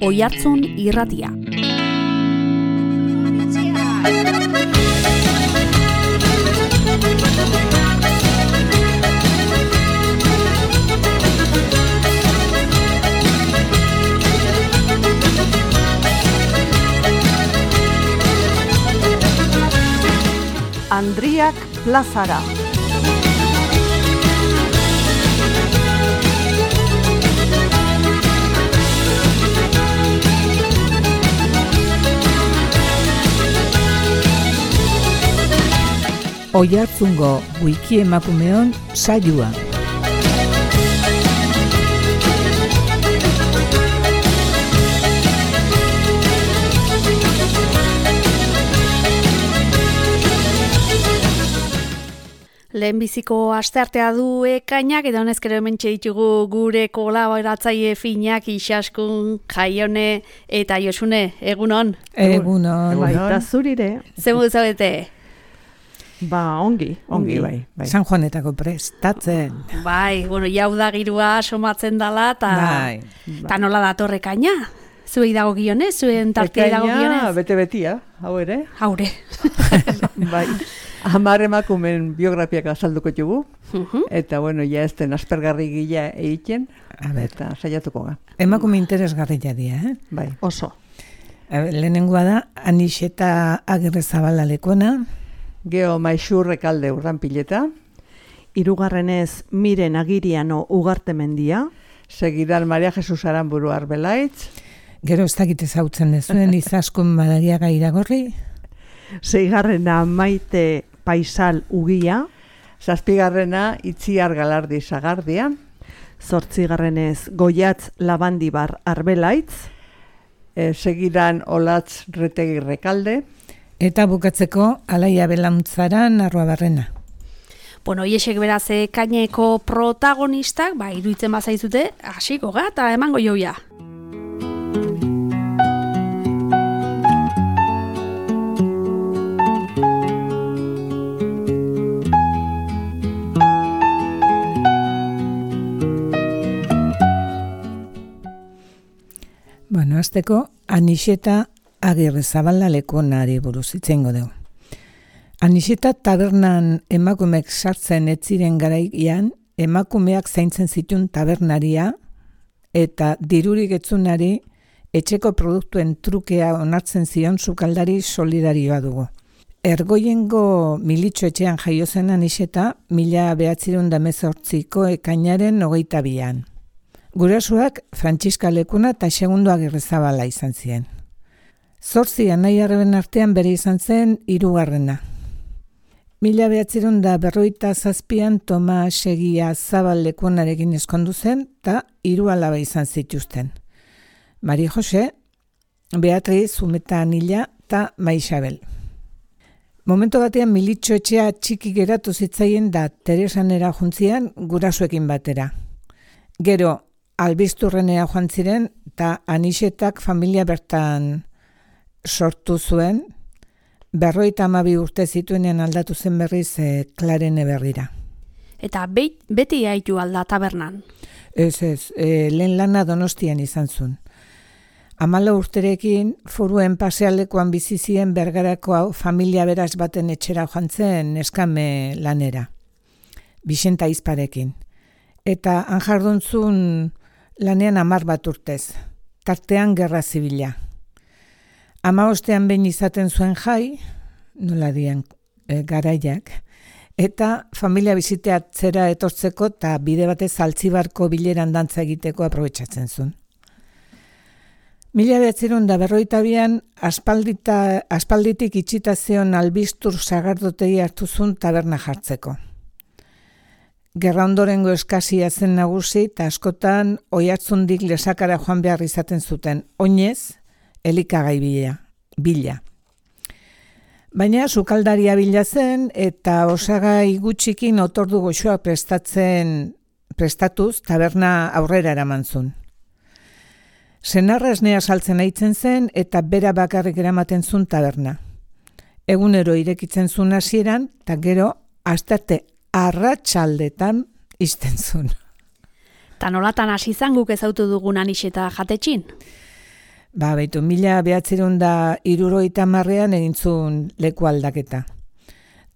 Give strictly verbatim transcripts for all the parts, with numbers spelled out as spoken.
Oihartzun Irratia. Andriak plazara. Oihartzungo wiki emakumeon saioa. Lehenbiziko asteartea du ekainak, eta honezkero hemen ditugu gure kolaboratzaile finak Isaskun, Jaione eta Josune. Egunon? Egunon. Baita zurire. Zer modu zaudete? Ba, ongi, ongi, bai, bai. San Juanetako prestatzen. Bai, bueno, jau da girua somatzen dala, eta bai. Ta nola datorre ekaina? Zuei dago gionez, zuen tartea dago gionez? Ekaina, bete-betia, hau ere. Haure. Bai. Hamar emakumen biografiak azalduko dugu, Uh-huh. eta bueno, ja ez den aspergarri gila egiten, eta saiatuko ga. Emakume interesgarria dira, eh? Bai. Oso. Lehenengoa da, Anixeta Agirrezabala lekona. Geo Maixur Rekalde Urdanpileta. Hirugarrenez Miren Agiriano Ugarte Mendia. Segidan Maria Jesus Aramburu Arbelaitz. Gero ez dakit ezautzen dezuen Izaskun Madariaga Iragorri. Seigarrena Maite Paisal Ugia. Zazpigarrena Itziar Galardi Sagardia. Zortzigarrenez Goiatz Labandibar Arbelaitz. E, segidan Olatz Retegi Rekalde. Eta bukatzeko Alaia Belamuntzaran Arruabarrena. Bueno, hiesek beraz ekaineko protagonistak, ba, iruditzen bazaizute, hasiko ga, eta emango joia. Bueno, azteko Anixeta Agirrezabala lekonari buruz itzengo dugu. Anixeta tabernan emakumeek sartzen ez ziren garaian, emakumeak zaintzen zituen tabernaria eta dirurik etzunari etxeko produktuen trukea onartzen zion sukaldari solidarioa dugu. Ergoiengo militxo etxean jaio zen Anixeta mila behatziehun eta hemezortziko ekainaren hogeita bian. Gurasoak Frantziska Lekuna eta Segundo Agirrezabala izan ziren. Zortzi anai arreben artean bere izan zen hirugarrena. Mila behatziehun eta berrogeita zazpian Toma Segia Zabal Lekunarekin eskondu zen eta hiru alaba izan zituzten. Mari Jose, Beatriz, Zumeta Anila eta Maixabel. Momento batean militxo etxea txiki geratu zitzaien da Teresanera juntzian gurasoekin batera. Gero, Albizturrenera joan ziren eta Anixetak familia bertan sortu zuen, berroita hamabi urte zituenean aldatu zen berriz e, Klarene berrira. Eta be- beti haitu alda tabernan. Ez ez, e, lehen lana Donostian izan zuen. Hamala urterekin foruen pasealdekoan bizi ziren Bergarako hau familia beraz baten etxera joan zen neskame lanera. Bixenta Izparekin. Eta han jarduntzun lanean hamar bat urtez, tartean gerra zibila. Hamabostean behin izaten zuen jai, nola dian e, garaiak, eta familia biziteatzera etortzeko eta bide batez Altzibarko bileran dantza egiteko aprobetxatzen zuen. Mila behatziehun eta berrogeita bian aspaldita, aspalditik itxita zeon Albiztur sagardotegi hartu zuen taberna jartzeko. Gerra ondorengo eskasia zen nagusi eta askotan Oihartzundik Lesakara joan behar izaten zuten, oinez, elikagai bila. bila. Baina sukaldaria bila zen eta osagai gutxikin otordu goxoa prestatzen prestatuz taberna aurrera eraman zuen. Senarra esnea saltzen aitzen zen eta bera bakarrik eramaten zuen taberna. Egunero irekitzen zuen hasieran eta gero astarte arratsaldetan izten zuen. Ta nolatan hasi izan guk ezautu dugun Anixeta jatetxin? Ba, baitu, mila behatzerun da hirurogeita hamarrean egintzun leku aldaketa.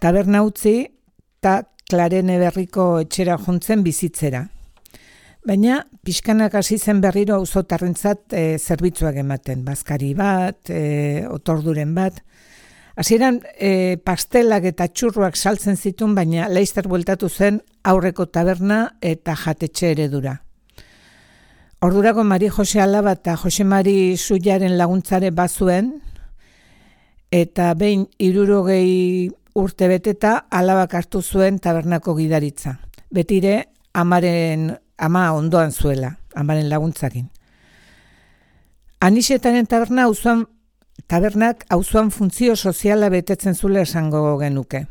Taberna utzi eta Klarene berriko etxera juntzen bizitzera. Baina, pixkanak hasi zen berriro auzotarrentzat e, zerbitzuak ematen. Bazkari bat, e, otorduren bat. Hasieran e, pastelak eta txurruak saltzen zituen, baina laizter bueltatu zen aurreko taberna eta jatetxe eredura. Ordurako Mari Jose Alaba eta Jose Mari Suiaren laguntzare bazuen, eta behin hirurogei urte beteta Alabak hartu zuen tabernako gidaritza. Betire amaren, ama ondoan zuela, amaren laguntzakin. Anixetaren taberna auzoan, tabernak auzoan funtzio soziala betetzen zule esango genuke.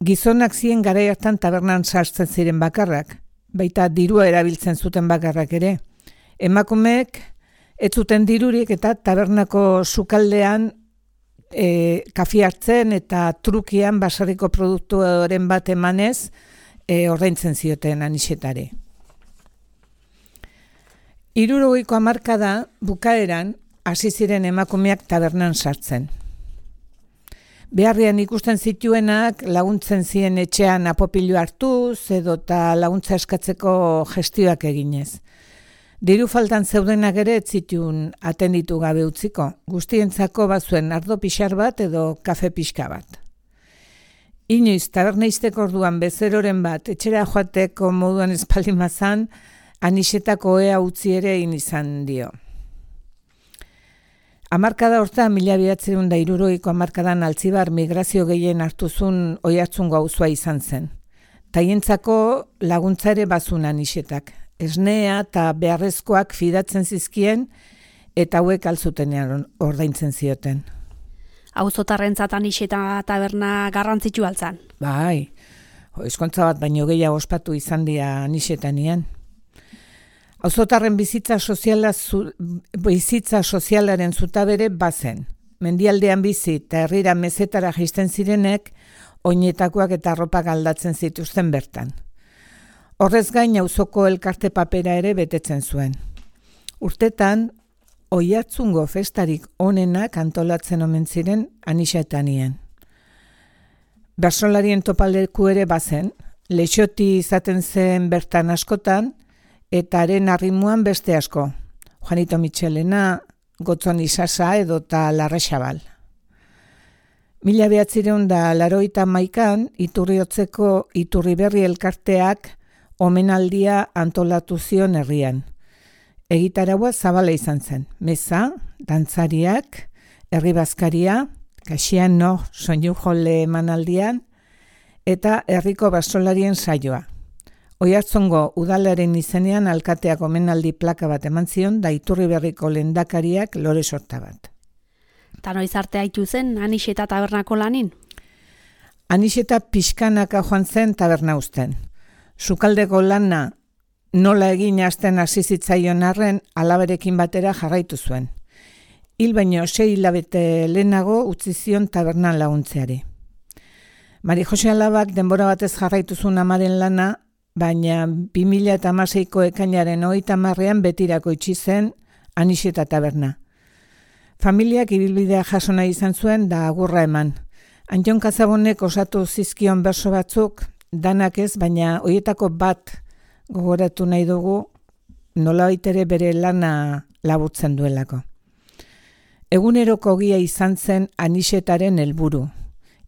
Gizonak ziren garai hartan tabernan sartzen ziren bakarrak, baita dirua erabiltzen zuten bakarrak ere. Emakumeek ez zuten dirurik eta tabernako sukaldean e, kafi hartzen eta trukian basarriko produktuaren bat emanez e, ordaintzen zioten Anixetari. Hirurogeiko hamarkada bukaeran hasi ziren emakumeak tabernan sartzen. Beharrian ikusten zituenak laguntzen zien etxean apopilu hartuz edota laguntza eskatzeko gestioak eginez. Diru faltan zeudenak ere ez zituen atenditu gabe utziko, guztientzako bazuen ardo pixar bat edo kafe pixka bat. Inoiz tabernaizteko orduan bezeroren bat etxera joateko moduan espaldimazan, Anixetako ea utzi ere egin izan dio. Hamarkada horta, mila bederatziehun eta hirurogeiko hamarkadan Altzibar migrazio gehien hartuzun Oiartzungo auzoa izan zen. Taientzako laguntza ere bazun Anixetak. Esnea eta beharrezkoak fidatzen zizkien eta hauek altzutenean ordaintzen zioten. Auzotarrentzat Anixeta taberna garrantzitsu altzan. Bai, eskontza bat baino gehiago ospatu izan dira Anixetanian. Auzotarren bizitza soziala zu, bizitza sozialaren zutabere bazen. Mendialdean bizi eta herrira mezetara jaisten zirenek oinetakoak eta arropak aldatzen zituzten bertan. Horrez gain auzoko elkarte papera ere betetzen zuen. Urtetan Oiartzungo festarik onenak antolatzen omen ziren Anixetanien. Bersolarien topaleku ere bazen, Leixoti izaten zen bertan askotan, eta haren arrimuan beste asko, Juanito Michelena, Gotzon Isasa edota Larrexabal. Mila behatzireun da laroita maikan, Iturriotzeko Iturriberri elkarteak omenaldia antolatu zion herrian. Egitaraua zabala izan zen, meza, dantzariak, herri bazkaria, kasian no, soinu jole emanaldian, eta herriko basolarien saioa. Oiartzungo udalaren izenean alkateak omenaldi plaka bat eman zion da Iturriberriko lehendakariak lore sorta bat. Ta noiz arte haitu zen Anixeta tabernako lanin? Anixeta pixkanaka joan zen taberna uzten. Sukaldeko lana nola egin hasten hasi zitzaion arren alaberekin batera jarraitu zuen. Hil baino sei hilabete lehenago utzi zion tabernan laguntzeari. Mari Jose Alabak denbora batez jarraitu zuen amaren lana, baina bi mila hamaseiko ekainaren hogeita hamarrean betirako itxi zen Anixeta taberna. Familiak ibilbidea jaso nahi izan zuen da agurra eman. Antion Kazabonek osatu zizkion berso batzuk, danak ez, baina horietako bat gogoratu nahi dugu nolabait ere bere lana laburtzen duelako. Eguneroko ogia izan zen Anixetaren helburu.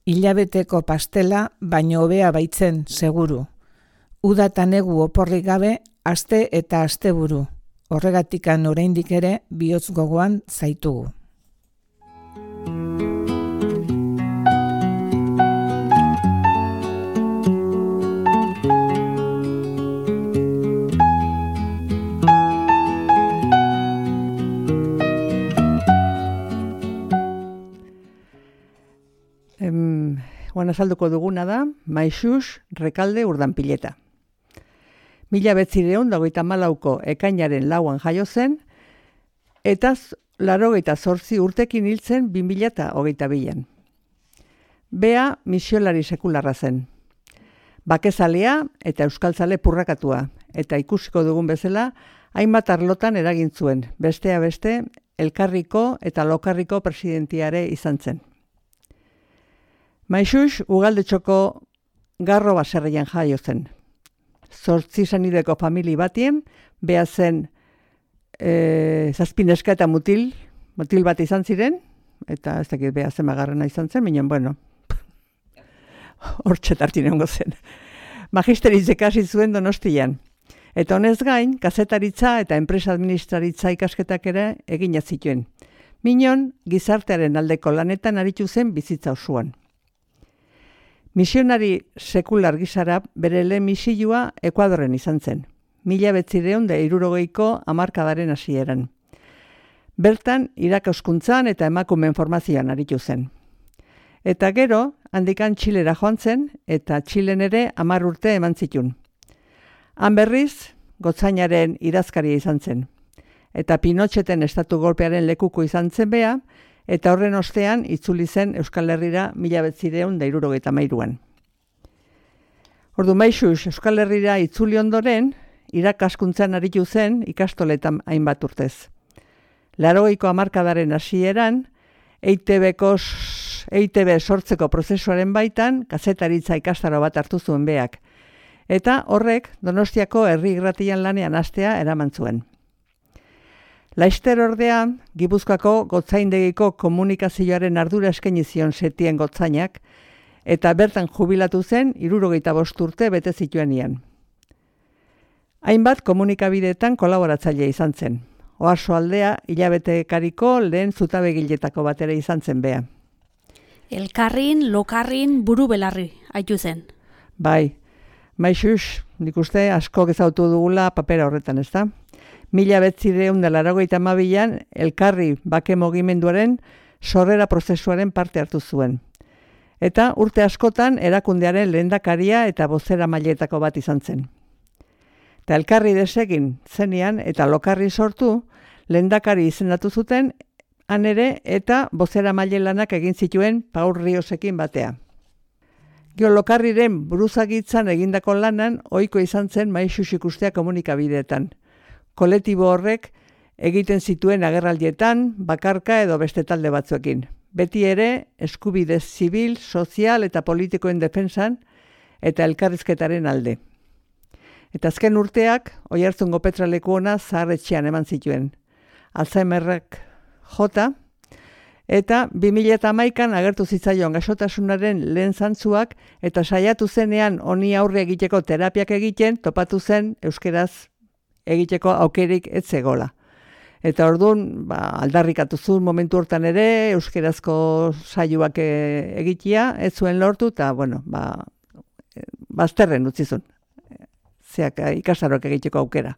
Hilabeteko pastela, baino hobea baitzen seguru. Uda eta negu oporrik gabe, aste eta asteburu. Horregatikan oraindik ere bihotz gogoan zaitugu. Em, Guan azalduko duguna da, Maixux Rekalde Urdanpileta. Mila betzireun dagoita malauko ekainaren lauan jaio zen, eta larogeita zortzi urtekin hiltzen bi mila eta hogeita bian. Bea misiolari sekularra zen. Bakezalea eta euskaltzale purrakatua, eta ikusiko dugun bezala, hainbat arlotan eragin zuen, bestea beste, Elkarriko eta Lokarriko presidentiare izan zen. Maixux Ugaldetxoko Garro baserrian jaio zen. Zortzi zenideko famili batien, beha zen e, zazpineska eta mutil, mutil bat izan ziren, eta ez dakit beha zen magarrena izan zen, minen, bueno, hortxe tartin egongo zen. Magisteritz ikasi zuen Donostian. Eta honez gain, kazetaritza eta enpresa administraritza ikasketak ere egina zituen. Minon, gizartearen aldeko lanetan aritu zen bizitza osoan. Misionari sekular gizara bere lehen misioa Ekuadorren izan zen. Mila betzireun da hirurogeiko hamarkadaren hasieran. Bertan, irakaskuntzan eta emakumeen formazioan aritu zen. Eta gero, handikan Txilera joan zen, eta Txilen ere hamar urte eman zitun. Han berriz, gotzainaren idazkaria izan zen. Eta Pinotxeten estatu golpearen lekuko izan zen bea, eta horren ostean itzuli zen Euskal Herrira mila betzireun da hirurogeita hamairuan. Ordu Maixux Euskal Herrira itzuli ondoren, irakaskuntzan aritu zen ikastoletan hainbat urtez. Laurogeiko hamarkadaren hasieran, E I Te Beko E I Te Be sortzeko prozesuaren baitan, kazetaritza ikastaro bat hartu zuen beak. Eta horrek Donostiako herri irratian lanean hastea eraman zuen. Laister ordea, Gipuzkoako gotzaindegiko komunikazioaren ardura eskaini zion Setien gotzainak, eta bertan jubilatu zen hirurogeita bost urte bete zituenean. Hainbat komunikabideetan kolaboratzaile izan zen. Oarso aldea hilabetekariko lehen zutabegiletako batera izan zen bea. Elkarrin, Lokarrin, buru belarri haitu zen. Bai, Maixux, nik uste asko gezautu dugula papera horretan, ez da? Mila betzireun da laurogeita hamabian Elkarri bake mugimenduaren sorrera prozesuaren parte hartu zuen. Eta urte askotan erakundearen lehendakaria eta bozera mailetako bat izan zen. Eta Elkarri desegin zenean eta Lokarri sortu, lehendakari izendatu zuten, han ere eta bozera maile lanak egin zituen Paul Riosekin batea. Gio Lokarriren buruzagitzan egindako lanan ohiko izan zen Maixux ikustea komunikabideetan. Kolektibo horrek egiten zituen agerraldietan, bakarka edo beste talde batzuekin. Beti ere eskubide zibil, sozial eta politikoen defensan eta elkarrizketaren alde. Eta azken urteak, Oiartzungo Petraleku ona zaharretxean eman zituen. Alzheimerrek jota, eta bi mila hamaikan agertu zitzaion gaixotasunaren lehen zantzuak eta saiatu zenean honi aurre egiteko terapiak egiten, topatu zen euskeraz egiteko aukerik ez zegola. Eta orduan, ba, aldarrikatu zuen momentu hortan ere, euskerazko saioak egitea, ez zuen lortu, eta, bueno, ba, bazterren utzi zuen. Zeak ikastaroak egiteko aukera.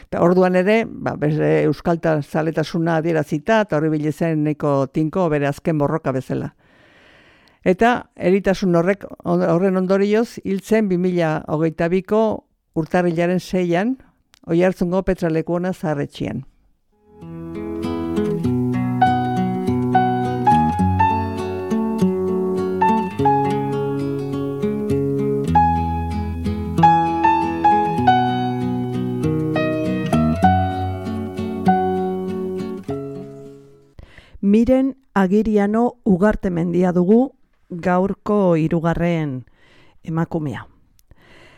Eta orduan ere, ba, bere euskalta zaletasuna adierazita, eta horri bilezen neko tinko bere azken borroka bezala. Eta eritasun horrek horren ondorioz, hiltzen bi mila hogeita biko urtarrilaren seian, Oiartzungo Petraleku ona zaharretxean. Miren Agiriano Ugartemendia dugu gaurko hirugarren emakumea.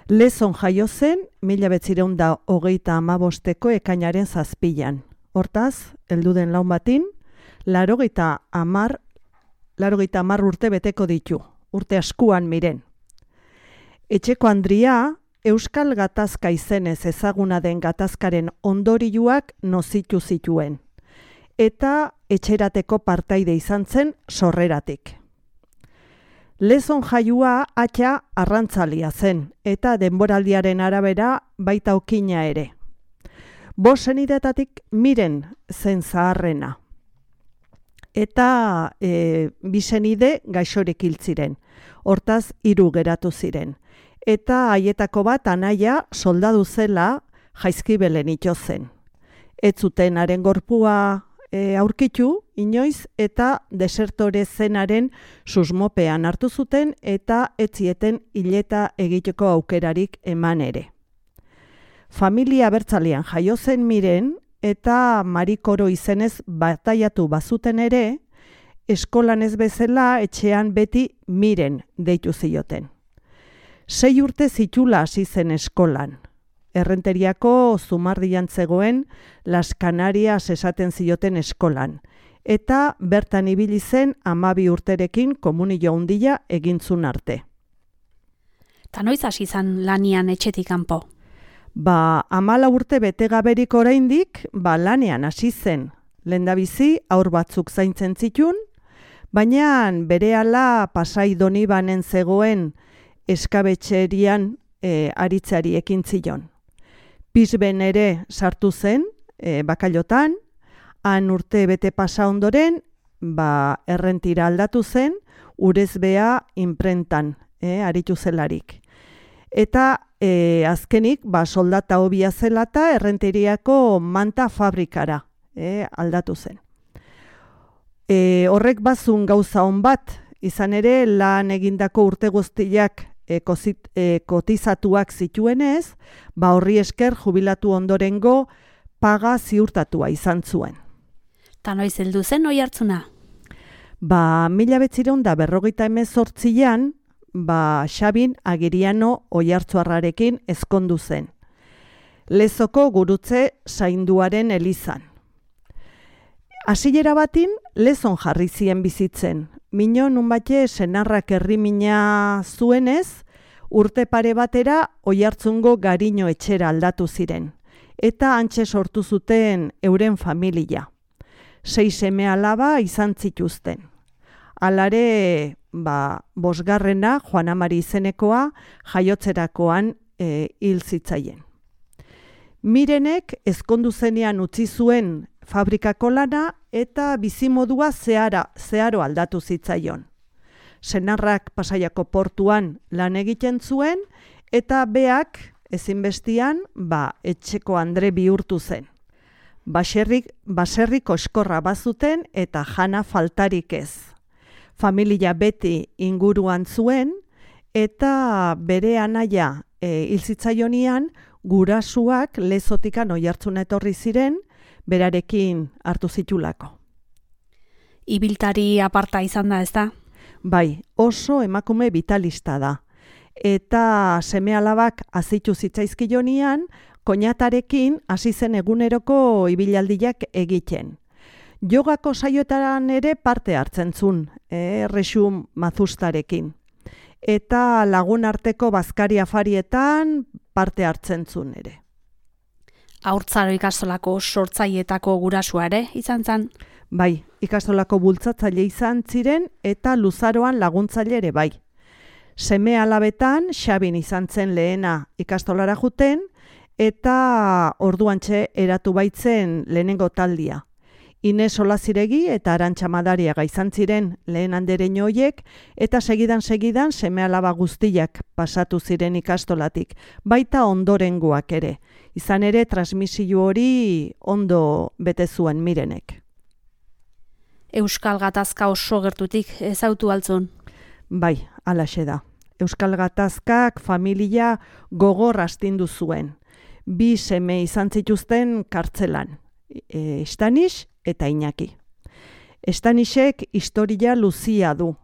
Lezon jaio zen, mila betzireun da hogeita hamabosteko ekainaren zazpilan. Hortaz, helduden laun batin, larogeita hamar, larogeita hamar urte beteko ditu, urte askuan miren. Etxeko Andria, Euskal Gatazka izenez ezaguna den gatazkaren ondorioak nozitu zituen, eta etxerateko partaide izan zen sorreratik. Lezon jaiua atxa arrantzalia zen, eta denboraldiaren arabera baita okina ere. Bost senidetatik miren zen zaharrena. Eta e, bi senide gaixorik hil ziren, hortaz hiru geratu ziren. Eta haietako bat anaia soldadu zela Jaizkibelen ito zen. Ez zuten haren gorpua E, aurkitu, inoiz, eta desertore zenaren susmopean hartu zuten eta etzieten hileta egiteko aukerarik eman ere. Familia abertzalean jaio zen Miren, eta Marikoro izenez bataiatu bazuten ere, eskolan ez bezala etxean beti Miren deitu zioten. Sei urte zitula hasi zen eskolan. Errenteriako Zumardian zegoen Las Canarias esaten zioten eskolan, eta bertan ibili zen hamabi urterekin komunio handia egintzun arte. Ta noiz hasi izan lanian etxetik kanpo? Ba, hamala urte bete gaberik oraindik, ba lanean hasi zen. Lehendabizi aur batzuk zaintzen zitun, baina berehala Pasai Donibanen zegoen eskabetxerian e, aritzari ekin zion. Pizben ere sartu zen, e, bakailotan, han urte bete pasa ondoren, ba, errentira aldatu zen, urezbea inprentan, e, aritu zelarik. Eta e, azkenik, ba, soldata hobia zelata, errenteriako manta fabrikara e, aldatu zen. E, horrek bazun gauza on bat, izan ere lan egindako urte guztiak e, kozit, e, kotizatuak zituenez, ba horri esker jubilatu ondorengo paga ziurtatua izan zuen. Ta noiz heldu zen oihartzuna? Ba, mila behatziehun eta berrogeita hemezortzian, ba, Xabin Agiriano oihartzuarrarekin ezkondu zen. Lezoko gurutze zainduaren elizan. Hasiera batin, lezon jarri zien bizitzen. Mino nunbate senarrak herrimina zuenez, urte pare batera oihartzungo Gariño etxera aldatu ziren. Eta hantxe sortu zuten euren familia. Sei seme alaba izan zituzten. Alare, ba, bosgarrena, Juan Amari izenekoa, jaiotzerakoan e, hil zitzaien. Mirenek ezkondu zenean utzi zuen fabrikako lana eta bizimodua zehara, zeharo aldatu zitzaion. Senarrak Pasaiako portuan lan egiten zuen eta beak ezinbestian ba, etxeko andre bihurtu zen. Baserrik, baserrik oskorra bazuten eta jana faltarik ez. Familia beti inguruan zuen eta bere anaia e, hil zitzaionian gurasuak Lezotikan oihartzuna etorri ziren, berarekin hartu zitulako. Ibiltari aparta izan da, ez da? Bai, oso emakume vitalista da. Eta seme-alabak azitu zitzaizkionian, koñatarekin hasi zen eguneroko ibilaldiak egiten. Jogako saioetan ere parte hartzen zuen, eh, Rexu Mazustarekin. Eta lagun arteko bazkari afarietan parte hartzen zuen ere. Haurtzaro ikastolako sortzailetako gurasua ere izan zen? Bai, ikastolako bultzatzaile izan ziren eta luzaroan laguntzaile ere bai. Seme alabetan Xabin izan zen lehena ikastolara juten eta orduantxe eratu baitzen lehenengo taldia. Ines Olaziregi eta Arantxa Madariaga izan ziren lehen andereño hoiek eta segidan-segidan seme alaba guztiak pasatu ziren ikastolatik, baita ondorengoak ere. Izan ere transmisio hori ondo bete zuen Mirenek. Euskal Gatazka oso gertutik ezautu altzun? Bai, halaxe da. Euskal Gatazkak familia gogor astindu zuen. Bi seme izan zituzten kartzelan, e, Estanis eta Iñaki. Estanisek historia luzia du.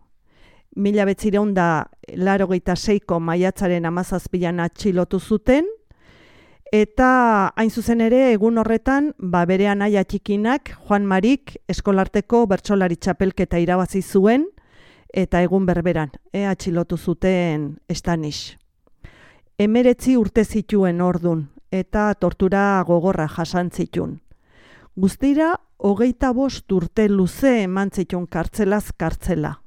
Mila behatziehun eta laurogeita seiko maiatzaren hamazazpian atxilotu zuten, eta hain zuzen ere egun horretan ba bere anaia txikinak Juan Marik eskolarteko bertsolari txapelketa irabazi zuen eta egun berberan e, atxilotu zuten Estanis. Hemeretzi urte zituen ordun eta tortura gogorra jasan zitun. Guztira hogeita bost urte luze eman zitun kartzelaz kartzela.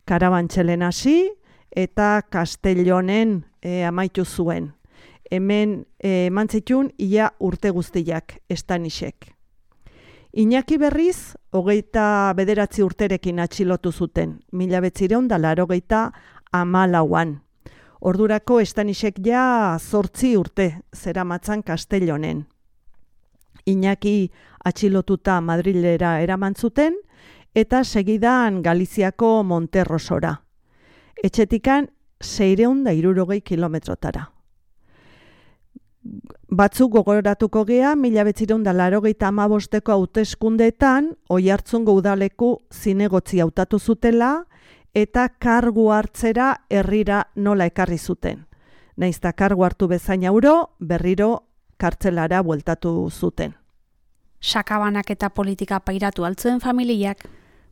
Karabantxelen hasi eta Castellonen e, amaitu zuen. Hemen eman zitun ia urte guztiak Estanisek. Iñaki berriz, hogeita bederatzi urterekin atxilotu zuten, mila behatziehun eta laurogeita hamalauan. Ordurako Estanisek ja zortzi urte zeramatzan Castellonen. Iñaki atxilotuta Madrilera eraman zuten eta segidan Galiziako Monterrosora. Etxetikan seiehun eta hirurogei kilometrotara. Batzuk gogoratuko gea, mila behatziehun eta laurogeita hamabosteko hauteskundeetan Oiartzungo udaleku zinegotzi hautatu zutela eta kargu hartzera herrira nola ekarri zuten. Nahiz eta kargu hartu bezain auro, berriro kartzelara bueltatu zuten. Sakabanak eta politika pairatu altzuen familiak.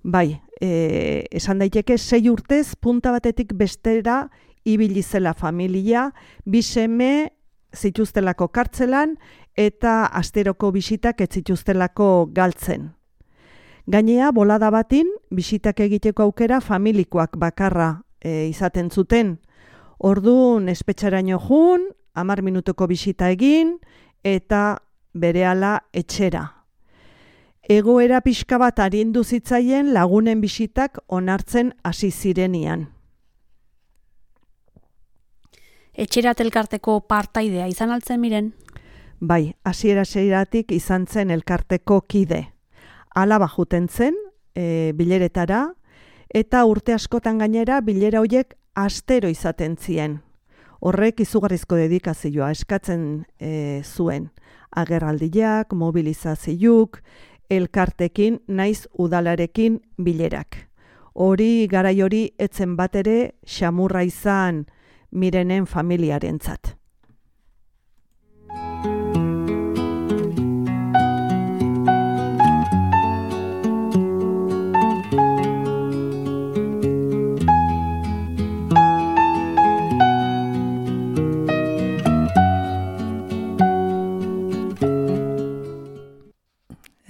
Bai, e, esan daiteke sei urtez punta batetik bestera ibili zela familia, bi seme zituztelako kartzelan eta asteroko bisitak ez zituztelako galtzen. Gainea, bolada batin, bisitak egiteko aukera familikoak bakarra e, izaten zuten. Orduan espetxaraino jun, hamar minutuko bisita egin eta berehala etxera. Egoera pixka bat arindu zitzaien lagunen bisitak onartzen hasi zirenian. Etxerat elkarteko partaidea izan altzen miren? Bai, hasiera-hasieratik izan zen elkarteko kide. Alaba juten zen, e, bileretara, eta urte askotan gainera bilera horiek astero izaten zien. Horrek izugarrizko dedikazioa eskatzen e, zuen. Agerraldiak, mobilizazioak, elkartekin naiz udalarekin bilerak. Hori garai hori etzen bat ere xamurra izan Mirenen familiarentzat.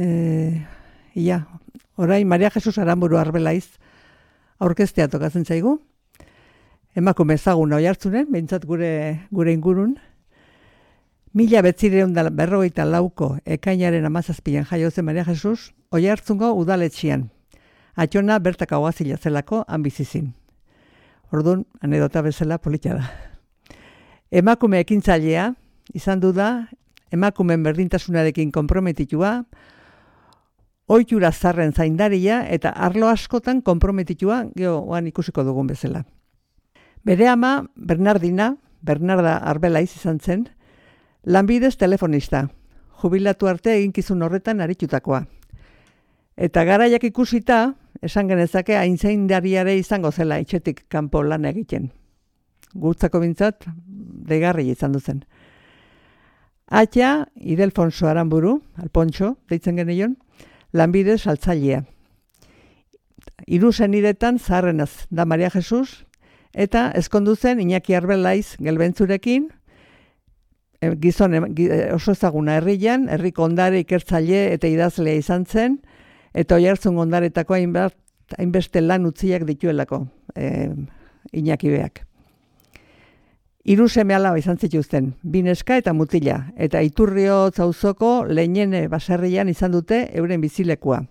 Eh, ia, orain Maria Jesus Aramburu Arbelaiz aurkeztea tokatzen zaigu. Emakume ezaguna Oiartzunen, behintzat gure gure ingurun. Mila behatziehun eta berrogeita lauko ekainaren hamazazpian jaio zen Maria Jesus Oiartzungo udaletxian. Atxona bertaka oazila zelako han bizizin. Orduan, anedota bezala polita da. Emakume ekintzailea izan du da, emakumeen berdintasunarekin konprometitua, ohitura zarren zaindaria eta arlo askotan konprometitua, geoan ikusiko dugun bezala. Bere ama, Bernardina, Bernarda Arbelaiz izan zen, lanbidez telefonista, jubilatu arte eginkizun horretan aritutakoa. Eta garaiak ikusita, esan genezake aintzaindariare izango zela etxetik kanpo lan egiten. Gutzako bintzat, deigarri izan duzen. Atia, Idelfonso Aramburu, Alpontxo, deitzen geneion, lanbidez saltzailea. Hiru senidetan zaharrenaz da Maria Jesus, eta ezkondu zen Iñaki Arbelaiz gelbentzurekin, e, gizon e, oso ezaguna herrian, herriko ondare ikertzaile eta idazlea izan zen, eta Oiartzun ondaretako hainbat, hainbeste lan utziak dituelako e, Iñaki beak. Hiru seme alaba izan zituzten, bi neska eta mutila, eta Iturriotz auzoko Leinene baserrian izan dute euren bizilekua.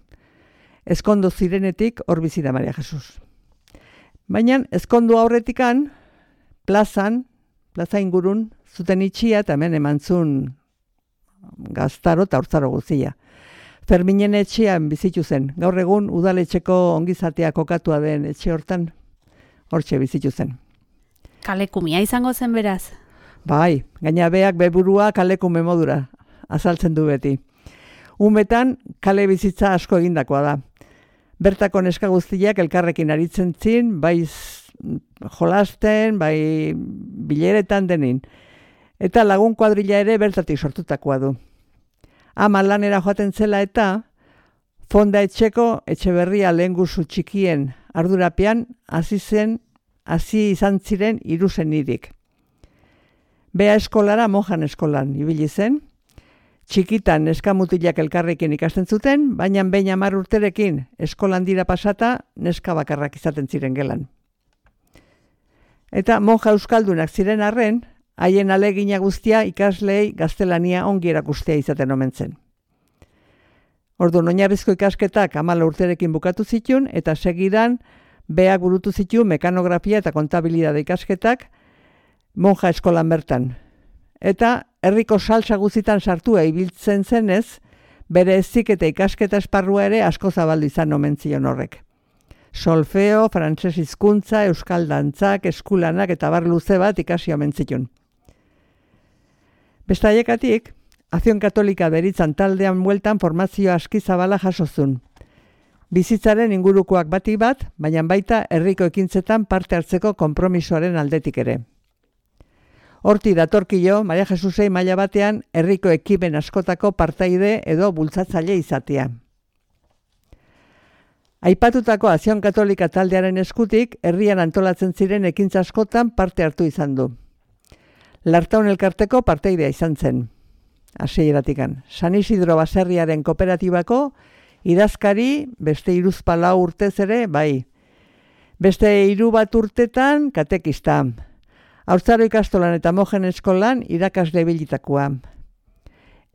Ezkondu zirenetik hor bizi da Maria Jesus. Baina ezkondu aurretikan, plazan, plaza ingurun, zuten itxia eta hemen emantzun gaztaro eta hortzaro guzia. Ferminen etxean bizitu zen, gaur egun udaletxeko ongizatea kokatua den etxe hortan, hortxe bizitu zen. Kalekumia izango zen beraz? Bai, gaina beak beburua kalekume modura azaltzen du beti. Umetan kale bizitza asko egindakoa da. Bertako neska guztiak elkarrekin aritzen zin, bai jolasten, bai bileretan denin. Eta lagun kuadrilla ere bertatik sortutakoa du. Ama lanera joaten zela eta fonda etxeko Etxeberria lehengusu txikien ardurapean hasi zen, hasi izan ziren hiru senidik. Bea eskolara mojan eskolan ibili zen, txikitan neskamutilak elkarrekin ikasten zuten, baina behin hamar urterekin eskolan dira pasata neska bakarrak izaten ziren gelan. Eta monja euskaldunak ziren arren, haien alegina guztia ikasleei gaztelania ongi erakustea izaten omen zen. Orduan oinarrizko ikasketak hamar urterekin bukatu zituen, eta segidan beak burutu zituen mekanografia eta kontabilidade ikasketak monja eskolan bertan. Eta herriko salsa guztitan sartua ibiltzen zenez, bere ezik eta ikasketa esparrua ere asko zabaldu izan omen zion horrek. Solfeo, frantses hizkuntza, euskal dantzak, eskulanak eta bar luze bat ikasi omen zituen. Beste haiekatik, Azion Katolika deritzan taldean bueltan formazio aski zabala jasozun. Bizitzaren ingurukoak bati bat, baina baita herriko ekintzetan parte hartzeko konpromisoaren aldetik ere. Horti datorkio, Maria Jesusei maila batean herriko ekimen askotako partaide edo bultzatzaile izatea. Aipatutako Azion Katolika taldearen eskutik, herrian antolatzen ziren ekintza askotan parte hartu izan du. Lartaun elkarteko parteidea izan zen, hasieratikan. San Isidro baserriaren kooperatibako idazkari, beste hiruzpalau urtez ere, bai. Beste hiru bat urtetan katekista. Haurtzaro ikastolan eta mojen eskolan irakasle bilitakoa.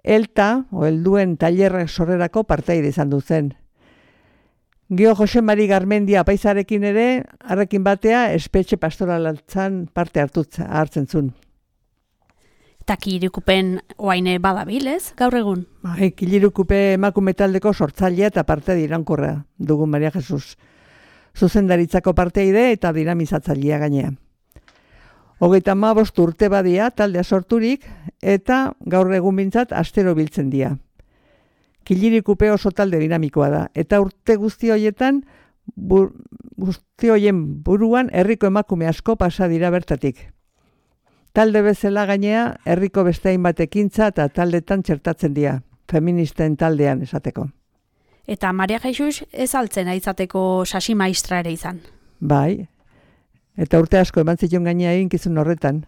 Elta, o helduen tailerrak sorrerako parteide izan du zen. Gio Jose Mari Garmendia apaizarekin ere, harrekin batea, espetxe pastoralatzan parte hartzen zuen. Eta Kilirikupen oaine badabil, ez, gaur egun? Bai, Kilirikupe emakume taldeko sortzailea eta parte dirankorra dugun Maria Jesus. Zuzendaritzako parteide eta dinamizatzailea gainea. Hogeita hamabost urte badia taldea sorturik eta gaur egun bintzat astero biltzen dira. Kilirikupe oso talde dinamikoa da eta urte guzti horietan bur, guzti horien buruan herriko emakume asko pasa dira bertatik. Talde bezala gainea herriko beste hainbat ekintza eta taldetan txertatzen dira, feministen taldean esateko. Eta Maria Jesus ez altzen aizateko sasi maistra ere izan. Bai, eta urte asko eman zion gainea eginkizun horretan.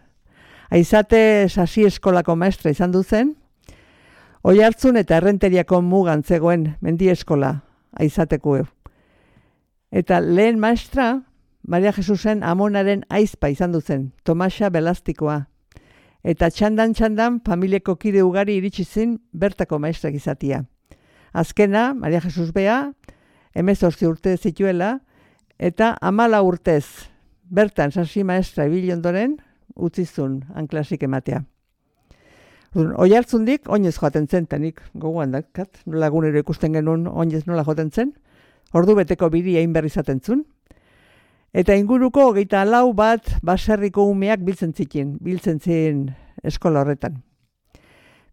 Aizate sasi eskolako maestra izan duzen, Oihartzun eta Errenteriako mugan zegoen mendi eskola aizateko eu. Eta lehen maestra, Maria Jesusen amonaren aizpa izan duzen, Tomasa Belastikoa. Eta txandan-txandan familieko kide ugari iritsi zin bertako maestrak izatia. Azkena, Maria Jesus bea, hemezortzi urte zituela, eta hamala urtez, bertan sasi maestra ibili ondoren, utzizun anklasik ematea. Oihartzundik oinez joaten zen, tanik gogoan dakat, nola egunero ikusten genuen oinez nola joaten zen, ordu beteko biri egin berri izaten zuen. Eta inguruko hogeita lau bat baserriko umeak biltzen zikin, biltzen ziren eskola horretan.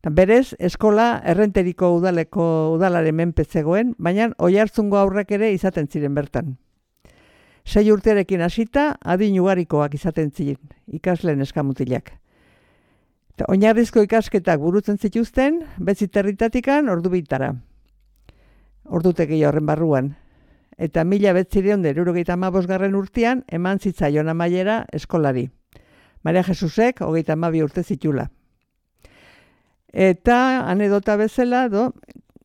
Berez, eskola Errenteriko udaleko udalaren menpe zegoen, baina Oihartzungo aurrek ere izaten ziren bertan. Sei urterekin hasita, adin ugarikoak izaten ziren, ikasleen eskamutilak. Oinarrizko ikasketak burutzen zituzten, betziterritatikan ordu bitara. Ordutegi horren barruan. Eta mila betzireon derurogeita hamabosgarren urtean eman zitzaion amaiera eskolari. Maria Jesusek hogeita hamabi urte zitula. Eta anedota bezala, do,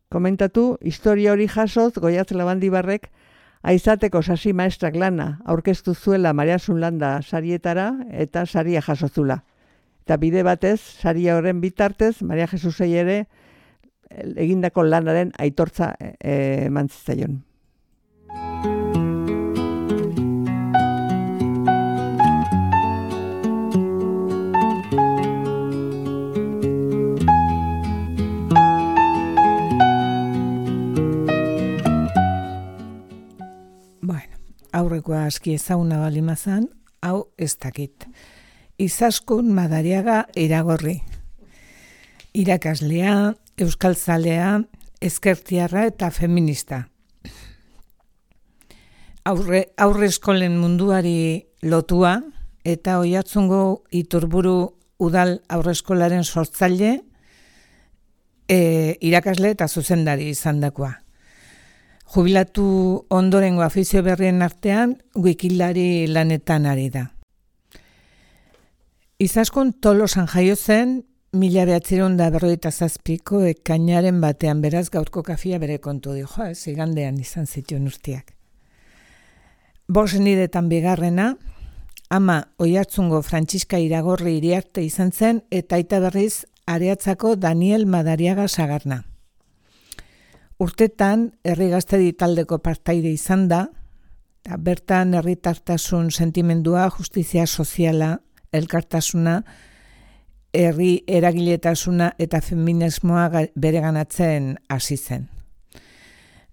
komentatu, historia hori jasoz Goiatz Labandibarrek aizateko sasi maestrak lana aurkeztu zuela Maria Sunlanda sarietara eta saria jasozula. Eta bide batez, saria horren bitartez, Maria Jesusei ere egindako lanaren aitortza eman zitzaion. Bueno, aurrekoa aski ezaguna balimazan, hau ez dakit. Izaskun Madariaga Iragorri. Irakaslea, euskaltzalea, ezkertiarra eta feminista. Aurre, aurre eskolen munduari lotua eta Oihartzungo Iturburu udal aurre eskolaren sortzaile, e, irakasle eta zuzendari izandakoa. Jubilatu ondorengo afizio berrien artean, wikilari lanetan ari da. Izaskun Tolosan jaio zen, mila behatziehun eta berrogeita zazpiko ekainaren batean, beraz gaurko kafia bere kontu dio, jo, ez, igandean izan zituen urtiak. Bost nidetan bigarrena, ama Oihartzungo Frantziska Iragorri Iriarte izan zen, eta aita berriz Areatzako Daniel Madariaga Sagarna. Urtetan, herri gaztedi taldeko partaide izan da, eta bertan herritartasun sentimendua, justizia soziala, elkartasuna, herri eragiletasuna eta feminismoa bereganatzen hasi zen.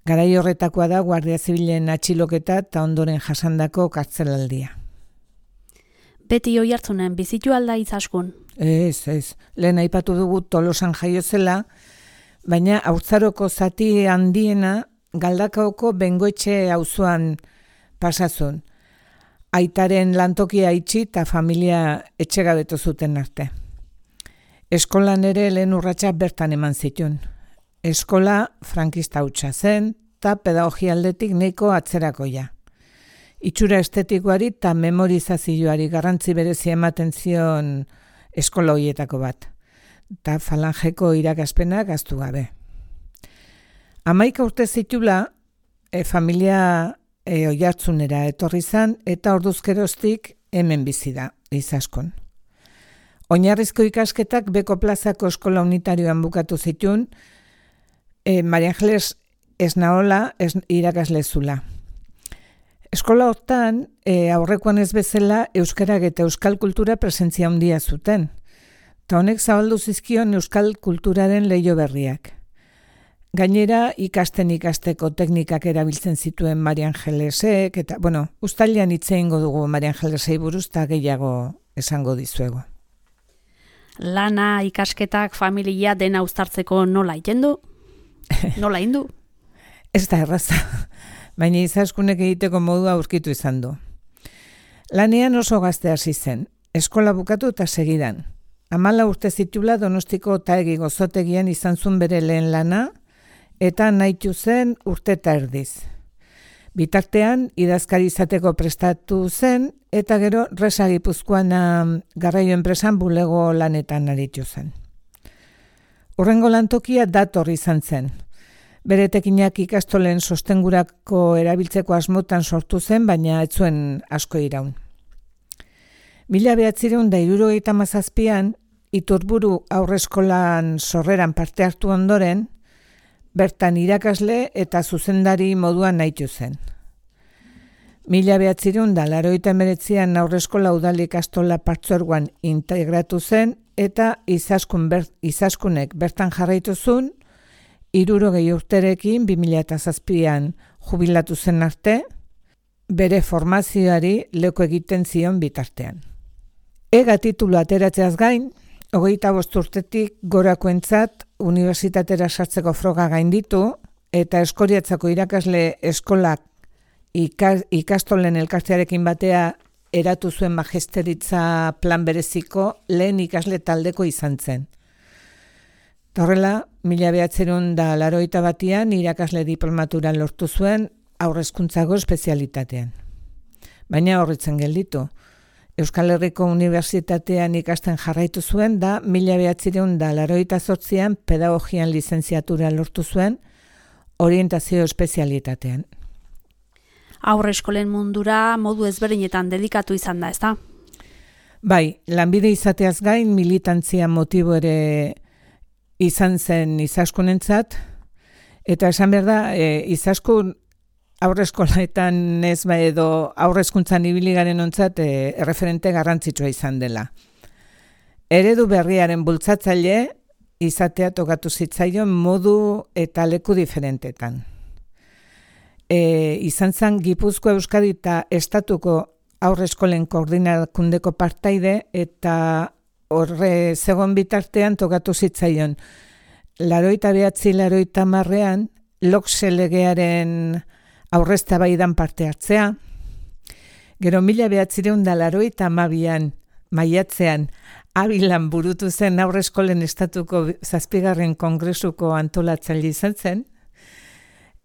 Garai horretakoa da Guardia Zibilen atxiloketa eta ondoren jasandako kartzelaldia. Beti Oihartzunen bizitu alda Izaskun? Ez, ez. Lehen aipatu dugu Tolosan jaio zela, baina Haurtzaroko zati handiena Galdakaoko Bengoetxe auzoan pasazun. Aitaren lantokia itxi eta familia etxegabetu zuten arte. Eskolan ere lehen urratsak bertan eman zituen. Eskola frankista hutsa zen eta pedagogia aldetik nahiko atzerakoia. Itxura estetikoari eta memorizazioari garrantzi berezia ematen zion eskola horietako bat. Eta falangeko irakaspenak ahaztu gabe. Hamaika urte zitula, e, familia e, Oiartzunera etorri zan eta orduzkeroztik hemen bizi da, Izaskun. Oinarrizko ikasketak Beko plazako eskola unitarioan bukatu zituen, e, Maria Angeles Esnaola es, irakasle zula. Eskola hortan, e, aurrekoan ez bezala, euskarak eta euskal kultura presentzia handia zuten. Ta honek zabaldu zizkion euskal kulturaren leiho berriak. Gainera, ikasten ikasteko teknikak erabiltzen zituen Maria Angelesek, eta, bueno, uztailean hitz egingo dugu Maria Angelesei buruz eta gehiago esango dizuegu. Lana, ikasketak, familia dena uztartzeko nola egiten du? Nola egin du? Ez da erraza, baina Izaskunek egiteko modua aurkitu izan du. Lanean oso gazte hasi zen, eskola bukatu eta segidan. Hamala urte zitula Donostiko Otaegi gozotegian izan zuen bere lehen lana, eta nahitu zen urte eta erdiz. Bitartean, idazkari izateko prestatu zen, eta gero Resa Gipuzkoan garraio enpresan bulego lanetan aritu zen. Hurrengo lantokia dator izan zen. Bere tekinak ikastolen sostengurako erabiltzeko asmotan sortu zen, baina ez zuen asko iraun. Mila behatzireun da hirurogeita hamazazpian, Iturburu aurreskolan sorreran parte hartu ondoren, bertan irakasle eta zuzendari moduan nahitu zen. Mila behatzireun da laurogeita hemeretzian aurreskola udal ikastola partzuergoan integratu zen eta Izaskun ber, Izaskunek bertan jarraitu zuen, hirurogei urterekin bi mila zazpian jubilatu zen arte, bere formazioari leku egiten zion bitartean. Ega titulu ateratzeaz gain, hogeita bost urtetik gorakoentzat unibertsitatera sartzeko froga gainditu eta Eskoriatzako irakasle eskolak ikas, ikastolen elkartearekin batea eratu zuen magisteritza plan bereziko lehen ikasle taldeko izan zen. Horrela, mila behatzireun da laurogeita batian irakasle diplomaturan lortu zuen haurrezkuntzako espezialitatean. Baina horritzen gelditu. Euskal Herriko Unibertsitatean ikasten jarraitu zuen da mila behatzireun da laurogeita zortzian pedagogian lizentziatura lortu zuen orientazio espezialitatean. Aurre eskolen mundura modu ezberdinetan dedikatu izan da, ezta? Bai, lanbide izateaz gain militantzia motibo ere izan zen Izaskunentzat, eta esan behar da, e, Izaskun aurreskolaetan ez ba edo aurrezkuntzan ibili garen ontzat e, erreferente garrantzitsua izan dela. Eredu berriaren bultzatzaile izatea tokatu zitzaion modu eta leku diferentetan. E, izan zen Gipuzkoa, Euskadi eta Estatuko aurreskolen koordinakundeko partaide eta horre zegoen bitartean tokatu zitzaion. Laurogeita behatzi, laurogeita hamarrean Lokse legearen aurreztabaidan parte hartzea. Gero mila behatzireun da laurogeita hamabian maiatzean Abilan burutu zen aurreskolen estatuko zazpigarren kongresuko antolatzaile izan zen.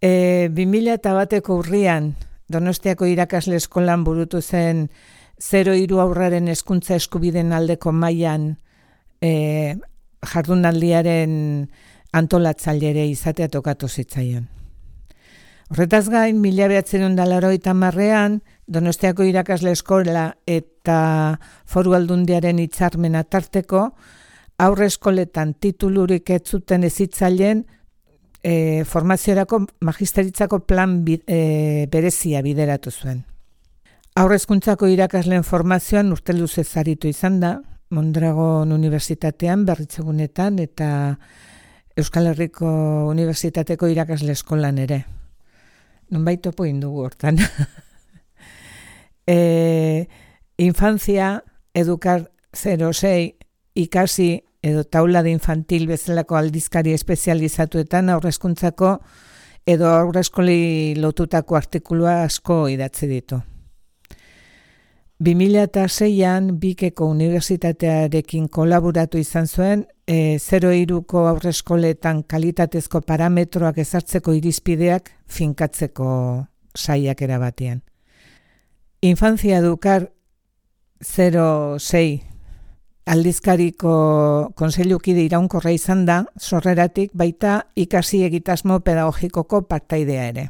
E, bi mila bateko urrian Donostiako irakasle eskolan burutu zen zero hiru aurraren hezkuntza eskubideen aldeko mailan e, jardunaldiaren antolatzailere izatea tokatu zitzaion. Horretaz gain, mila behatzireun da laurogeita hamarrean, Donostiako irakasle eskola eta Foru Aldundiaren hitzarmena tarteko, aurre eskoletan titulurik ez zuten hezitzaileen e, formaziorako magisteritzako plan bi, e, berezia bideratu zuen. Aurrezkuntzako irakasleen formazioan urte luzez aritu izan da, Mondragon Unibertsitatean, Berritzegunetan eta Euskal Herriko Unibertsitateko irakasle eskolan ere. Nonbait topo indugu hortan. e, infantzia, edukar zero sei ikasi edo taula de infantil bezalako aldizkari espezializatuetan aurrezkuntzako edo aurreskoli lotutako artikulua asko idatzi ditu. bi mila seian Bikeko Unibertsitatearekin kolaboratu izan zuen e, zero hiruko aurreskoletan kalitatezko parametroak ezartzeko irizpideak finkatzeko saiakera batean. Infantzia Edukar zero sei aldizkariko konseilukide iraunkorra izan da, sorreratik baita ikasi egitasmo pedagogikoko partaidea ere.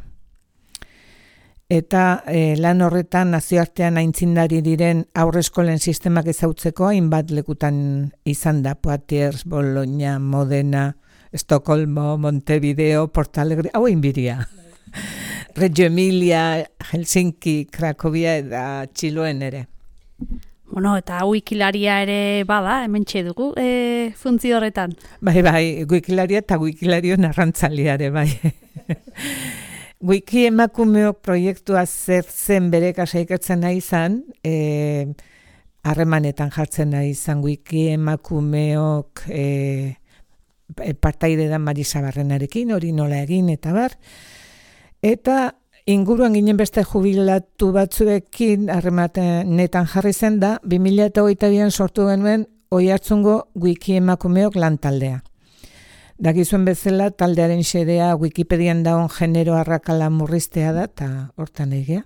Eta e, lan horretan nazioartean aintzindari diren aurreskolen sistemak ezautzeko hainbat lekutan izan da, Poitiers, Bologna, Modena, Estocolmo, Montevideo, Porto Alegre, hau inbiria. Reggio Emilia, Helsinki, Cracovia eta Txiloen ere. Bueno, eta wikilaria ere bada, hemen dugu, e, funtzio horretan. Bai, bai, wikilaria eta wikilario narrantzaliare, bai. Wiki emakumeok proiektua zer zen bere kasa ikertzen nahi izan, e, harremanetan jartzen nahi izan wiki emakumeok e, partaide da Marisa Barrenarekin, hori nola egin eta bar. Eta inguruan ginen beste jubilatu batzuekin harremanetan jarri zen da, bi mila hogeita bian sortu genuen Oiartzungo wiki emakumeok lantaldea. Dakizuen bezala taldearen xedea Wikipedian dagoen genero arrakala murriztea da, eta hortan egia.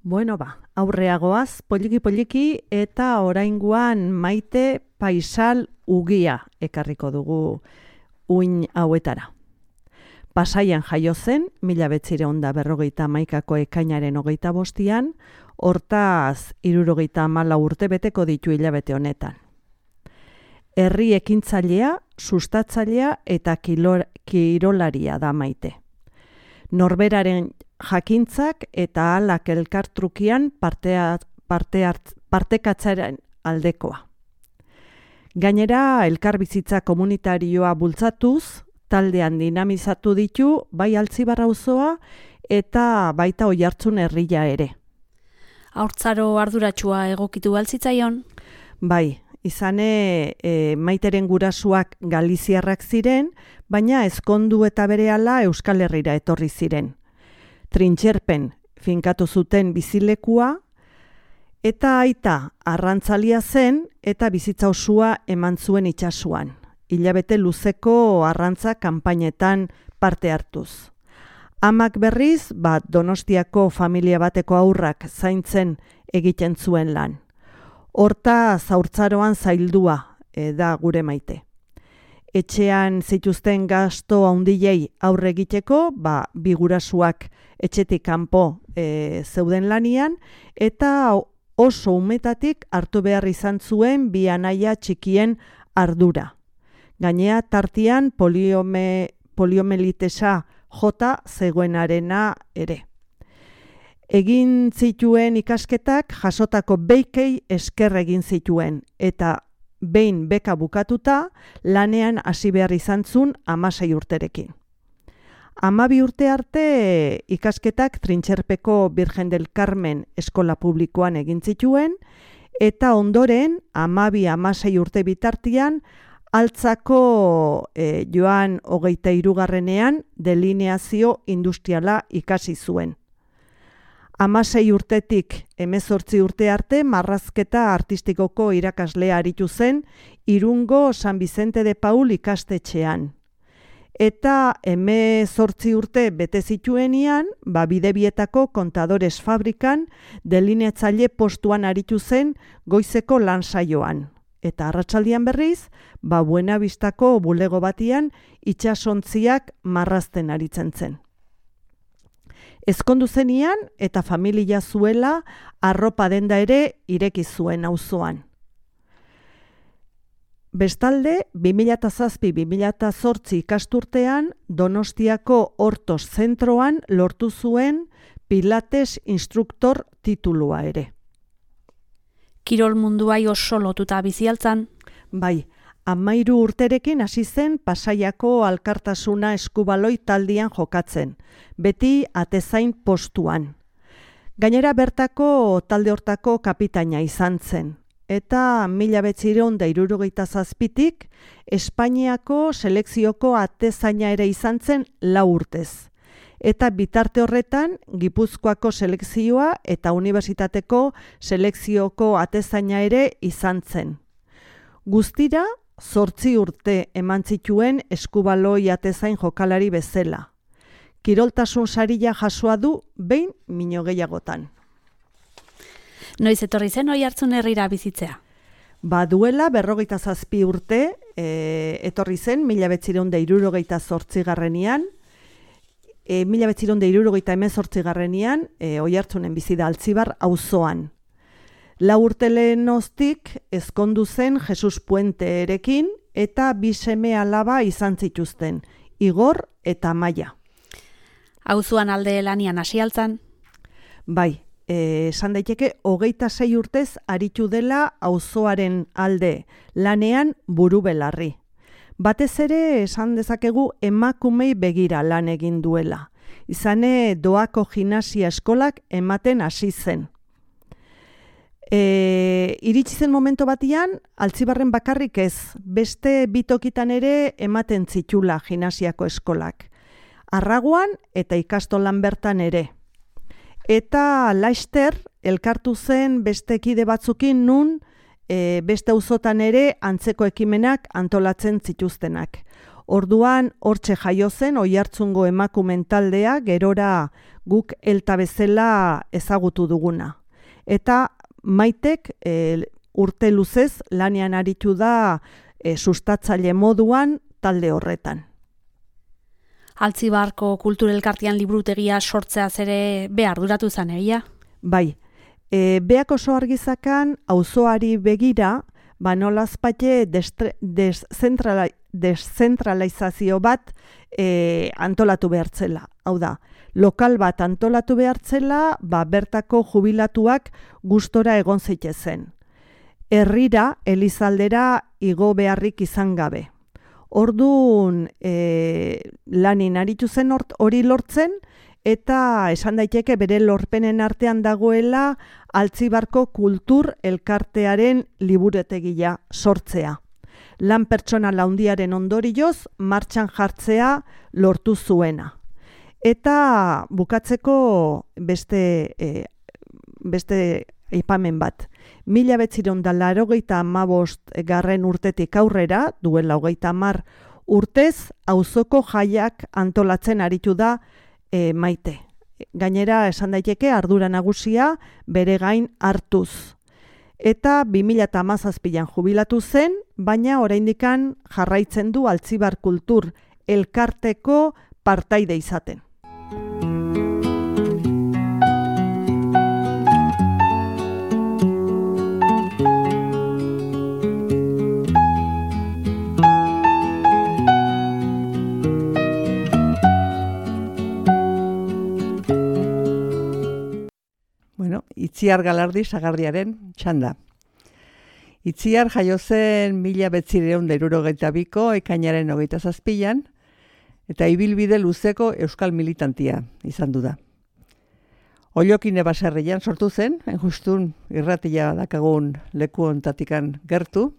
Bueno ba, aurreagoaz, poliki-poliki eta oraingoan Maite Paisal Ugia ekarriko dugu uin hauetara. Pasaian jaio zen, mila bederatziehun eta berrogeita hamaikako ekainaren hogeita bostian, hortaz hirurogeita hamalau urte beteko ditu hilabete honetan. Herri ekintzailea, sustatzailea eta kilor, kirolaria da Maite. Norberaren jakintzak eta ahalak elkartrukian partea, parte hart, partekatzaren aldekoa. Gainera, elkarbizitza komunitarioa bultzatuz, taldean dinamizatu ditu bai Altzibar auzoa eta baita Oiartzun herria ere. Haurtzaro arduratsua egokitu baltzitzaion? Bai, izane e, Maiteren gurasuak galiziarrak ziren, baina ezkondu eta berehala Euskal Herrira etorri ziren. Trintxerpen finkatu zuten bizilekua, eta aita arrantzalia zen eta bizitza osua eman zuen itsasoan. Hilabete luzeko arrantza kanpainetan parte hartuz. Amak berriz, bat Donostiako familia bateko haurrak zaintzen egiten zuen lan. Horta zaurtzaroan zaildua e, da gure Maite. Etxean zituzten gasto handilei aurre egiteko, ba, bi gurasuak etxetik kanpo e, zeuden lanian, eta oso umetatik hartu behar izan zuen bi anaia txikien ardura. Gainea tartian poliome, poliomelitesa jota zegoenarena ere. Egin zituen ikasketak jasotako beikei esker egin zituen, eta behin beka bukatuta lanean hasi behar izan zuen hamasei urterekin. Hamabi urte arte ikasketak Trintxerpeko Virgen del Carmen eskola publikoan egin zituen, eta ondoren hamabi hamasei urte bitartian Altzako e, joan hogeita hirugarrenean delineazio industriala ikasi zuen. Hamasei urtetik hemezortzi urte arte marrazketa artistikoko irakaslea aritu zen Irungo San Vicente de Paul ikastetxean. Eta hemezortzi urte bete zituenean, ba Bidebietako kontadores fabrikan delineatzaile postuan aritu zen goizeko lan saioan. Eta arratsaldean berriz, ba Buenavistako bulego batian itsasontziak marrazten aritzen zen. Ezkondu zenian eta familia zuela arropa denda ere ireki zuen auzoan. Bestalde, bi mila zazpi bi mila zortzi ikasturtean Donostiako Hortos zentroan lortu zuen Pilates instruktor titulua ere. kirol munduai oso lotuta bizialtzan. Bai, amairu urterekin hasi zen Pasaiako Alkartasuna eskubaloi taldian jokatzen, beti atezain postuan. Gainera bertako talde hortako kapitaina izan zen, eta mila bederatziehun eta hirurogeita zazpitik Espainiako selekzioko atezaina ere izan zen lau urtez. Eta bitarte horretan Gipuzkoako selekzioa eta unibertsitateko selekzioko atezaina ere izan zen. Guztira, zortzi urte eman zituen eskubaloi atezain jokalari bezala. Kiroltasun saria jasoa du behin mino gehiagotan. Noiz etorri zen Oiartzun herrira bizitzea? Ba duela berrogeita zazpi urte e, etorri zen mila bederatziehun eta hirurogeita zortzigarrenean, e, mila bederatziehun eta hirurogeita hemezortzigarrenean e, Oiartzunen bizi da Altzibar auzoan. Lau urte lehenostik ezkondu zen Jesus Puenterekin eta bi seme alaba izan zituzten, Igor eta Amaia. Auzoan alde lanian hasi altzan? Bai, esan daiteke hogeita sei urtez aritu dela auzoaren alde, lanean buru belarri. Batez ere esan dezakegu emakumei begira lan egin duela. Izane doako gimnasia eskolak ematen hasi zen. E, iritsi zen momento batian, Altzibarren bakarrik ez, beste bitokitan ere ematen zitula gimnasiako eskolak. Arraguan eta ikastolan bertan ere. Eta laister elkartu zen beste kide batzukin nun e, beste auzotan ere antzeko ekimenak antolatzen zituztenak. Orduan hortxe jaio zen Oiartzungo emakumen taldea gerora guk elta bezala ezagutu duguna. Eta Maitek e, urte luzez lanean aritu da e, sustatzaile moduan talde horretan. Altzibarko kulturelkartean liburutegia sortzeaz ere behar duratu zan egia? Bai, e, beak oso argizakan auzoari begira, ba nolazpate deszentrala, deszentralizazio bat e, antolatu behartzela. Hau da, lokal bat antolatu behartzela, ba bertako jubilatuak gustora egon zitezen. Herrira, Elizaldera igo beharrik izan gabe. Orduan e, lanin aritu zen hori lortzen, eta esan daiteke bere lorpenen artean dagoela Altzibarko kultur elkartearen liburutegia sortzea. Lan pertsonal handiaren ondorioz martxan jartzea lortu zuena. Eta bukatzeko beste, e, beste aipamen bat. Mila bederatziehun eta laurogeita hamabost garren urtetik aurrera, duela hogeita hamar urtez, auzoko jaiak antolatzen aritu da e, Maite. Gainera, esan daiteke ardura nagusia bere gain hartuz. Eta bi mila hamazazpian jubilatu zen, baina oraindikan jarraitzen du Altzibar Kultur elkarteko partaide izaten. Bueno, Itziar Galardi Sagardiaren txanda. Itziar jaio zen mila bederatziehun eta hirurogeita biko ekainaren hogeita zazpian, eta ibilbide luzeko euskal militantia izan du da. Ollokine baserrian sortu zen, justun irratia dakagun leku ontatikan gertu,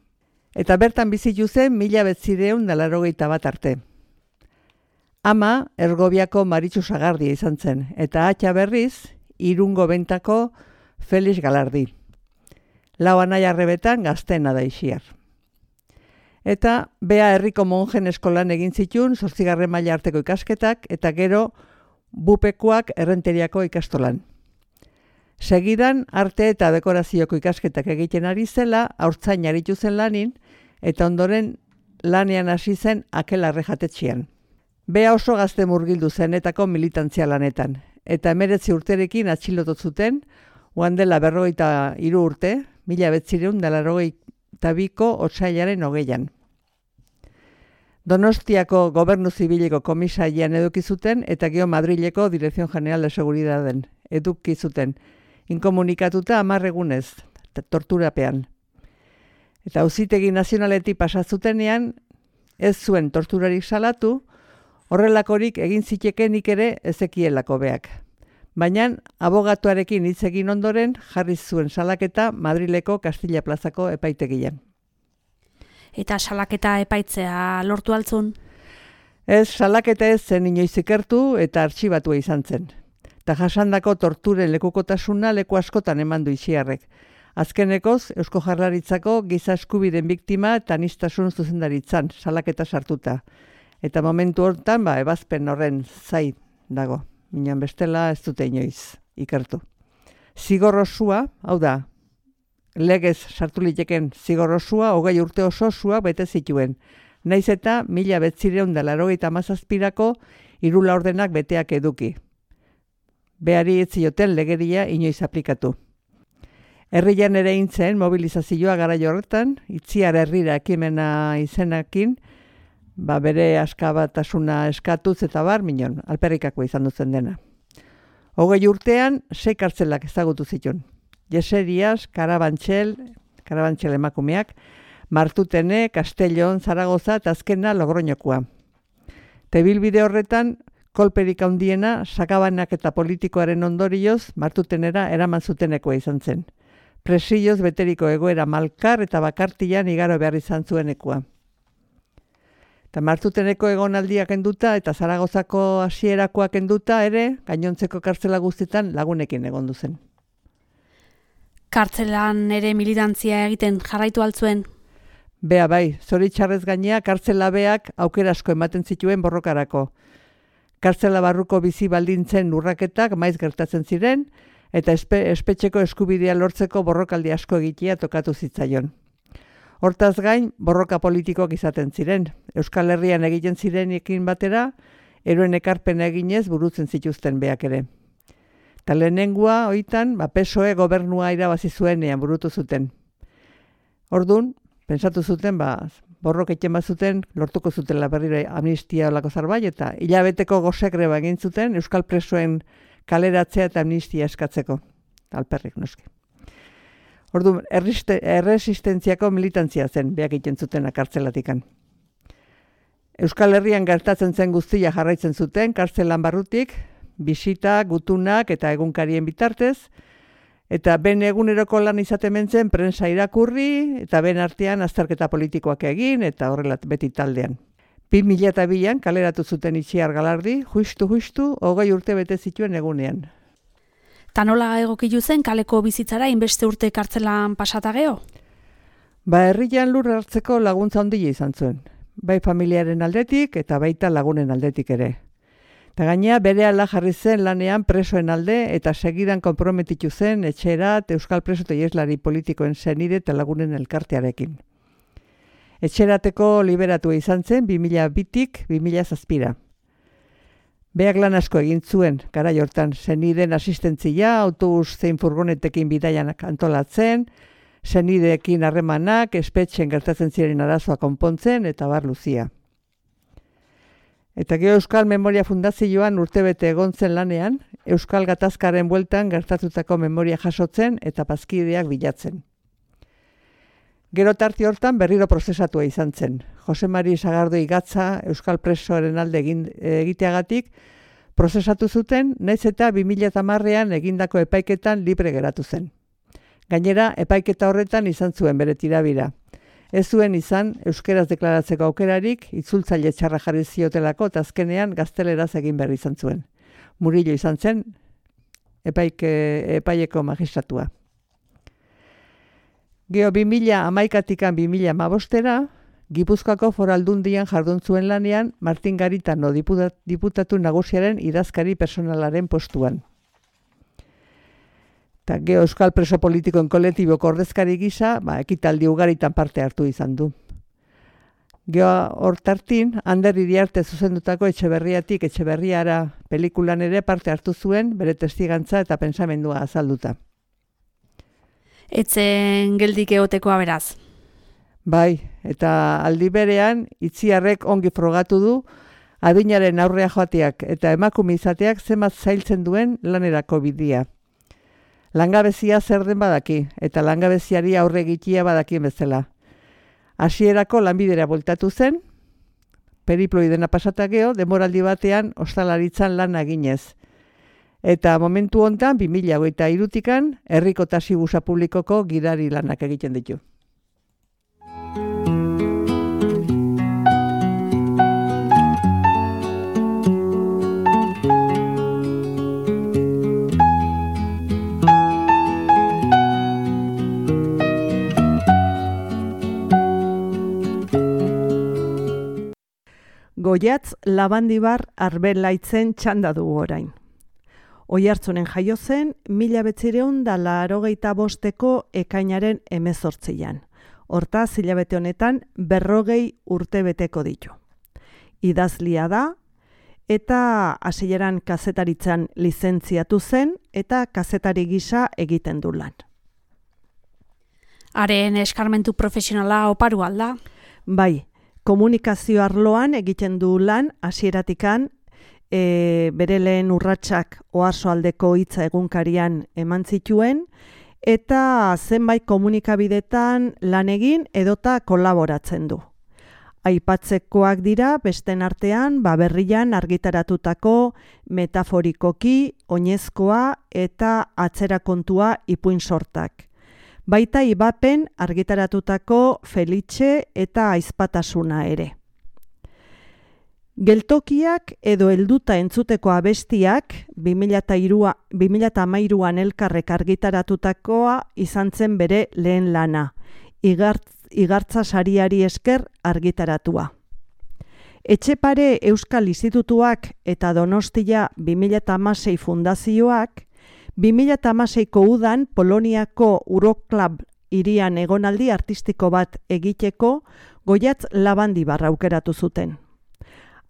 eta bertan bizitu zen mila bederatziehun eta laurogeita bat arte. Ama Ergobiako Maritxu Sagardia izan zen, eta atxa berriz Irungo Bentako Felix Galardi. Lau anai arrebetan gaztena da Itziar. Eta bea herriko monjen eskolan egin zituen zortzigarren maila arteko ikasketak eta gero bupekuak errenteriako ikastolan. Segidan arte eta dekorazioko ikasketak egiten ari zela, haurtzain aritu zen lanin, eta ondoren lanean hasi zen Akelarre jatetxean. Bea oso gazte murgildu zenetako militantzia lanetan, eta emeretzi urterekin atxilotu zuten, oan dela berrogeita hiru urte, mila bederatziehun eta laurogeita biko otsailaren hogeian. Donostiako Gobernu Zibileko komisarian eduki zuten eta gero Madrileko Dirección General de Seguridadden eduki zuten. Inkomunikatuta hamar egunez, torturapean. Eta auzitegi nazionaletik pasatzutenean, ez zuen torturarik salatu, horrelakorik egin zitekenik ere ezekielako beak. Baina, abogatuarekin hitz egin ondoren jarri zuen salaketa Madrileko Kastilla plazako epaitegian. Eta salaketa epaitzea lortu altzun? Ez, salaketa ez zen inoiz ikertu eta artxibatua izan zen. Ta jasandako torturen lekukotasuna leku askotan eman du Itziarrek. Azkenekoz, Eusko Jaurlaritzako giza eskubideen biktima eta aniztasun zuzendaritzan salaketa sartuta. Eta momentu hortan, ba, ebazpen horren zai dago. Minan bestela ez dute inoiz ikertu. Zigor osua, hau da, legez sartu liteken zigor osua, hogei urte oso osua bete zituen. Naiz eta mila betzireun da laurogeita hamazazpirako hiru laurdenak beteak eduki. Behari ez zioten legeria inoiz aplikatu. Herrian ere intzen mobilizazioa garaio horretan, Itziar herrira ekimena izenakin, ba bere askabatasuna eskatuz eta bar, minon, alperrikako izan duzen dena. Hogei urtean, sei kartzelak ezagutu zituen. Jeserias, Karabantxel, Karabantxel emakumeak, Martutene, Castellon, Zaragoza eta azkena Logroñokoa. Tebilbide horretan, kolperik handiena, sakabanak eta politikoaren ondorioz, Martutenera eraman zutenekoa izan zen. Presilloz beteriko egoera malkar eta bakartian igaro behar izan zuenekoa. Eta Martuteneko egonaldiak enduta eta Zaragozako hasierakoak enduta ere, gainontzeko kartzela guztietan lagunekin egon zen. Kartzelan ere militantzia egiten jarraitu altzuen? Bea bai, zoritxarrez gainea kartzela beak aukera asko ematen zituen borrokarako. Kartzela barruko bizi baldintzen urraketak maiz gertatzen ziren, eta espe, espetxeko eskubidea lortzeko borrokaldi asko egitea tokatu zitzaion. Hortaz gain, borroka politikoak izaten ziren. Euskal Herrian egiten zirenekin batera, eroen ekarpen eginez burutzen zituzten beak ere. Ta lehenengua, oitan, ba, P S O E gobernua irabazi zuenean burutu zuten. Ordun, pentsatu zuten, ba, borrok egiten bazuten, lortuko zutela berriro amnistia olako zarbait, eta hilabeteko gozegreba egin zuten Euskal presoen kaleratzea eta amnistia eskatzeko. Alperrik noski. Orduan, erresistentziako militantzia zen, beak egiten zuten kartzelatikan. Euskal Herrian gertatzen zen guztia jarraitzen zuten, kartzelan barrutik, bisita, gutunak eta egunkarien bitartez, eta ben eguneroko lan izaten mentzen prensa irakurri, eta ben artean azterketa politikoak egin, eta horrela beti taldean. bi mila bian kaleratu zuten Itziar Galardi, justu-justu, hogei urte bete zituen egunean. Ta nola egokitu zen kaleko bizitzara inbeste urte kartzelan pasata geho? Ba, herrian lur hartzeko laguntza handia izan zuen. Bai familiaren aldetik eta baita lagunen aldetik ere. Eta gainea berehala jarri zen lanean presoen alde eta segidan konprometitu zen etxerat Euskal Preso eta Ieslari politikoen senide eta lagunen elkartearekin. Etxerateko liberatua izan zen bi mila bitik bi mila zazpira. Beak lan asko egin zuen, garai hortan, senideen asistentzia, autobus zein furgonetekin bidaianak antolatzen, senideekin harremanak, espetxen gertatzen ziren arazoa konpontzen, eta bar luzia. Eta gero Euskal Memoria Fundazioan urtebete egon zen lanean, Euskal Gatazkaren bueltan gertatutako memoria jasotzen eta bazkideak bilatzen. Gero tarte hortan berriro prozesatua izan zen. Jose Mari Sagardoi Gatza Euskal Presoaren alde egin, egiteagatik prozesatu zuten, nahiz eta bi mila hamarrean egindako epaiketan libre geratu zen. Gainera, epaiketa horretan izan zuen bere tirabira. Ez zuen izan euskeraz deklaratzeko aukerarik, itzultzaile txarra jarri ziotelako eta azkenean gazteleraz egin behar izan zuen. Murillo izan zen epaike, epaileko magistratua. Geo bi mila hamaikatikan bi mila hamabostera, Gipuzkoako Foraldundian jardun zuen lanean Martin Garitano diputat, diputatu nagusiaren idazkari personalaren postuan. Eta geo Euskal Preso Politikoen kolektiboko ordezkari gisa, ba, ekitaldi ugaritan parte hartu izan du. Geo hortartin, Ander Iriarte zuzendutako Etxeberriatik Etxeberriara pelikulan ere parte hartu zuen, bere testigantza eta pentsamendua azalduta. Etzen geldik egotekoa beraz. Bai, eta aldi berean, Itziarrek ongi frogatu du, adinaren aurrea joateak eta emakume izateak zenbat zailtzen duen lanerako bidea. Langabezia zer den badaki, eta langabeziari aurre egitea badakien bezala. Hasierako lanbidera bueltatu zen, periploi dena pasatakeo, denboraldi batean ostalaritzan lan eginez. Eta momentu hontan, bi mila hogeita hirutikan, herriko taxibusa publikoko gidari lanak egiten ditu. Goiatz Labandibar Arbelaitzen txanda dugu orain. Oiartzunen jaio zen, mila betzireun da laurogeita bosteko ekainaren hemezortzian. Hortaz, hilabete honetan, berrogei urte beteko ditu. Idazlia da, eta hasieran kazetaritzan lizentziatu zen, eta kazetari gisa egiten du lan. Haren eskarmentu profesionala oparu alda? Bai, komunikazio arloan egiten du lan hasieratikan, e, bere lehen urratsak Oarsoaldeko hitza egunkarian eman zituen, eta zenbait komunikabidetan lan egin edota kolaboratzen du. Aipatzekoak dira besten artean Baberrian argitaratutako metaforikoki, oinezkoa eta atzerakontua ipuin sortak. Baita Ibapen argitaratutako Felice eta Aizpatasuna ere. Geltokiak edo helduta entzuteko abestiak bi mila hamairuan elkarrek argitaratutakoa izan zen bere lehen lana, Igartz, Igartza sariari esker argitaratua. Etxepare Euskal Institutuak eta Donostia bi mila hamasei fundazioak bi mila hamaseiko udan Poloniako Uroklub hirian egonaldi artistiko bat egiteko Goiatz Labandibar aukeratu zuten.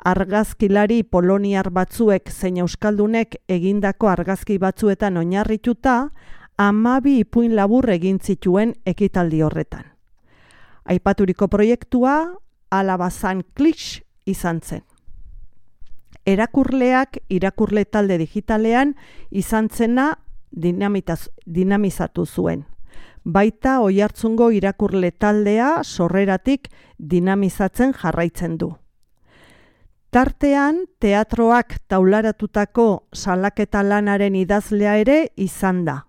Argazkilari poloniar batzuek zein euskaldunek egindako argazki batzuetan oinarrituta, hamabi ipuin labur egin zituen ekitaldi horretan. Aipaturiko proiektua Alabazan Klix izan zen. Erakurleak irakurle talde digitalean izan zena dinamizatu zuen. Baita Oiartzungo irakurle taldea sorreratik dinamizatzen jarraitzen du. Tartean, teatroak taularatutako salaketa lanaren idazlea ere izan da.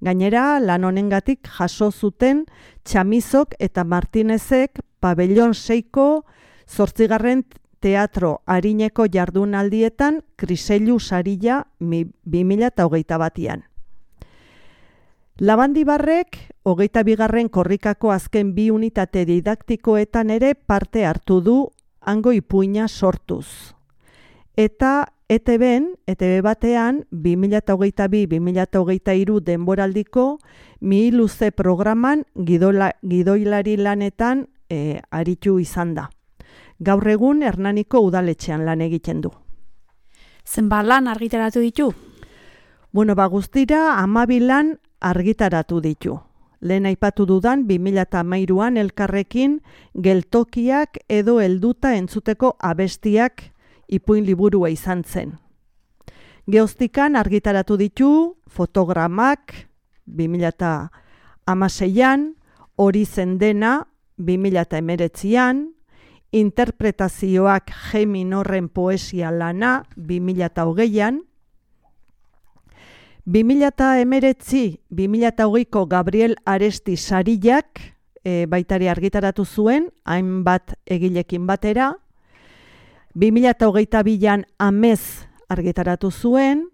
Gainera, lan honengatik jaso zuten Txamizok eta Martinezek pabellon seiko zortzigarren teatro arineko jardunaldietan Kriseilu saria bi mila hogeita batian. Labandibarrek, hogeita bigarren korrikako azken bi unitate didaktikoetan ere parte hartu du hango ipuina sortuz. Eta E T Ben, E T B batean, bi mila hogeita bi bi mila hogeita hiru denboraldiko Mi Luze programan gidola, gidoilari lanetan e, aritu izan da. Gaur egun Hernaniko udaletxean lan egiten du. Zenbat lan argitaratu ditu? Bueno, ba guztira hamabi lan argitaratu ditu. Lehen aipatu dudan bi mila hamairuan elkarrekin geltokiak edo helduta entzuteko abestiak ipuin liburua izan zen. Geoztikan argitaratu ditu fotogramak bi mila hamaseian, hori zen dena bi mila hemeretzian, interpretazioak G minorren poesia lana bi mila hogeian, bi mila hemeretzi bi mila hogeiko Gabriel Aresti sariak e, baitari argitaratu zuen, hainbat egilekin batera, bi mila hogeita bian Amez argitaratu zuen,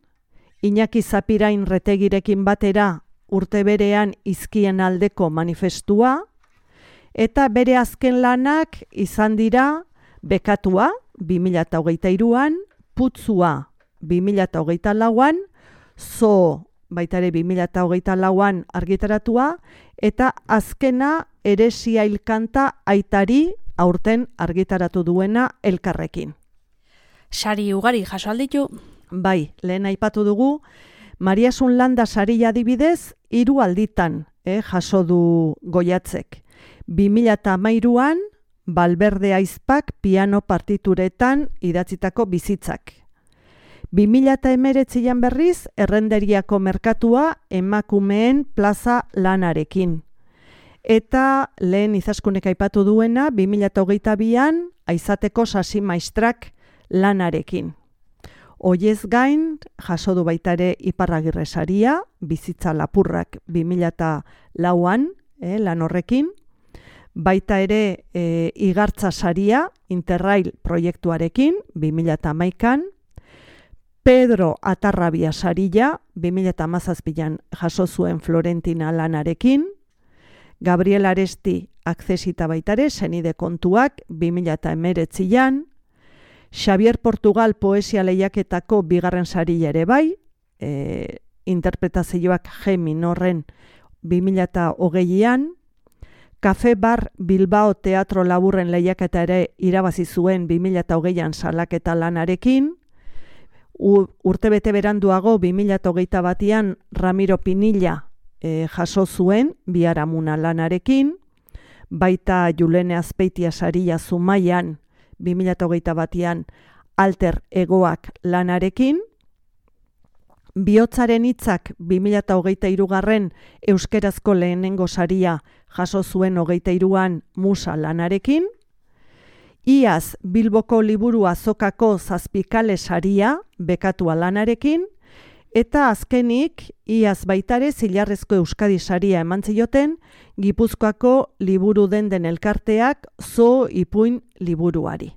Iñaki Zapirain Retegirekin batera urte berean Izkien aldeko manifestua, eta bere azken lanak izan dira Bekatua bi mila hogeita hiruan, Putzua bi mila hogeita lauan, Zo baitare bi mila hogeita lauan argitaratua, eta azkena Heresia hilkanta aitari aurten argitaratu duena elkarrekin. Sari ugari jaso alditu? Bai, lehen aipatu dugu, Mariasun Landa saria adibidez, hiru alditan eh, jaso du Goiatzek. bi mila hamairuan, Balberde Aizpak piano partituretan idatzitako bizitzak. bi mila hemeretzian berriz, Errenderiako merkatua emakumeen plaza lanarekin. Eta lehen Izaskunek aipatu duena, bi mila hogeita bian, Aizateko sasi maistrak lanarekin. Hoiez gain, jaso du baita ere Iparragirre saria, bizitza lapurrak bi mila lauan, eh, lan horrekin. Baita ere e, Igartza saria, Interrail proiektuarekin, bi mila hamaikan. Pedro Atarrabia saria, bi mila hamazazpian jaso zuen Florentina lanarekin. Gabriel Aresti akzesita baita ere, senide kontuak, bi mila hemeretzian. Xavier Portugal poesia lehiaketako bigarren saria ere bai, e, interpretazioak G minorren bi mila hogeian. Kafe Bar Bilbao teatro laburren lehiaketa ere irabazi zuen bi mila hogeian salaketa lanarekin. U, urtebete beranduago bi mila hogeita batian Ramiro Pinilla e, jaso zuen Biharamuna lanarekin. Baita Julene Azpeitia saria Zumaian bi mila hogeita batian Alter Egoak lanarekin. Bihotzaren hitzak bi mila hogeita hirugarren euskerazko lehenengo saria jaso zuen hogeita hiruan Musa lanarekin. Iaz Bilboko liburu azokako zazpikale saria bekatua lanarekin. Eta azkenik, iaz baitare Zilarrezko Euskadi saria eman zioten Gipuzkoako liburu denden elkarteak Zo Ipuin liburuari.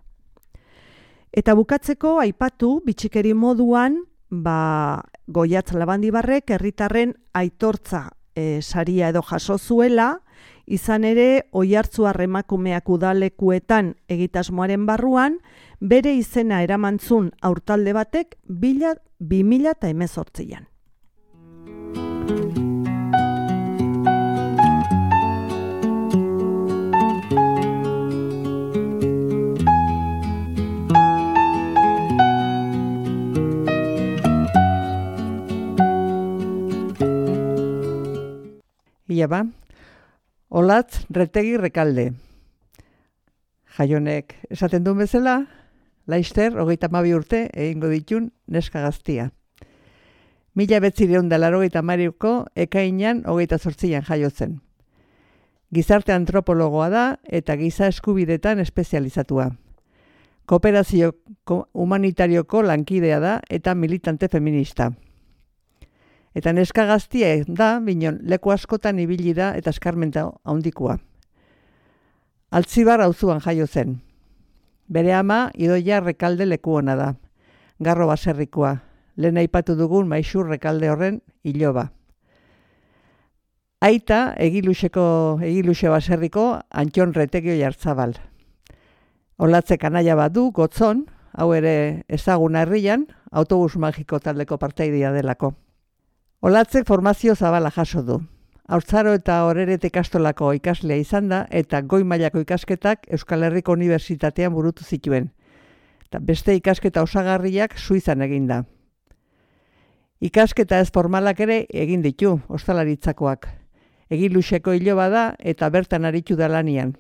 Eta bukatzeko aipatu bitxikeri moduan, ba, Goiatz Labandibarrek herritarren aitortza e, saria edo jaso zuela, izan ere Oiartzuar emakumeak udalekuetan egitasmoaren barruan, bere izena eramantzun aurtalde batek bi mila hemezortzian. Ia ba, Olatz Retegi Rekalde. Jaionek esaten duen bezala, Laister, hogeita hamabi urte, egingo ditun neska gaztia. Mila betzireun da laurogeita hamariko ekainean hogeita zortzian jaiotzen. Gizarte antropologoa da eta giza eskubidetan espezializatua. Kooperazio humanitarioko lankidea da eta militante feminista. Eta neska gaztia da, binon, leku askotan ibili da eta eskarmenta handikoa. Altzibar auzuan jaio zen. Bere ama Idoia Rekalde leku ona da. Garro baserrikoa. Lehen aipatu dugun Maixur Rekalde horren iloba. Aita egiluseko egiluxe baserriko Antxon Retegio Jartzabal. Olatzek anaia bat du, Gotzon, hau ere ezaguna herrian, autobus magiko taldeko partaidea delako. Olatzek formazio zabala jaso du. Haurtzaro eta Orerete ikastolako ikaslea izan da eta goi mailako ikasketak Euskal Herriko Unibertsitatean burutu zituen. Eta beste ikasketa osagarriak Suizan egin da. Ikasketa ez formalak ere egin ditu, ostalaritzakoak. Egiluseko iloba da eta bertan aritu da lanian.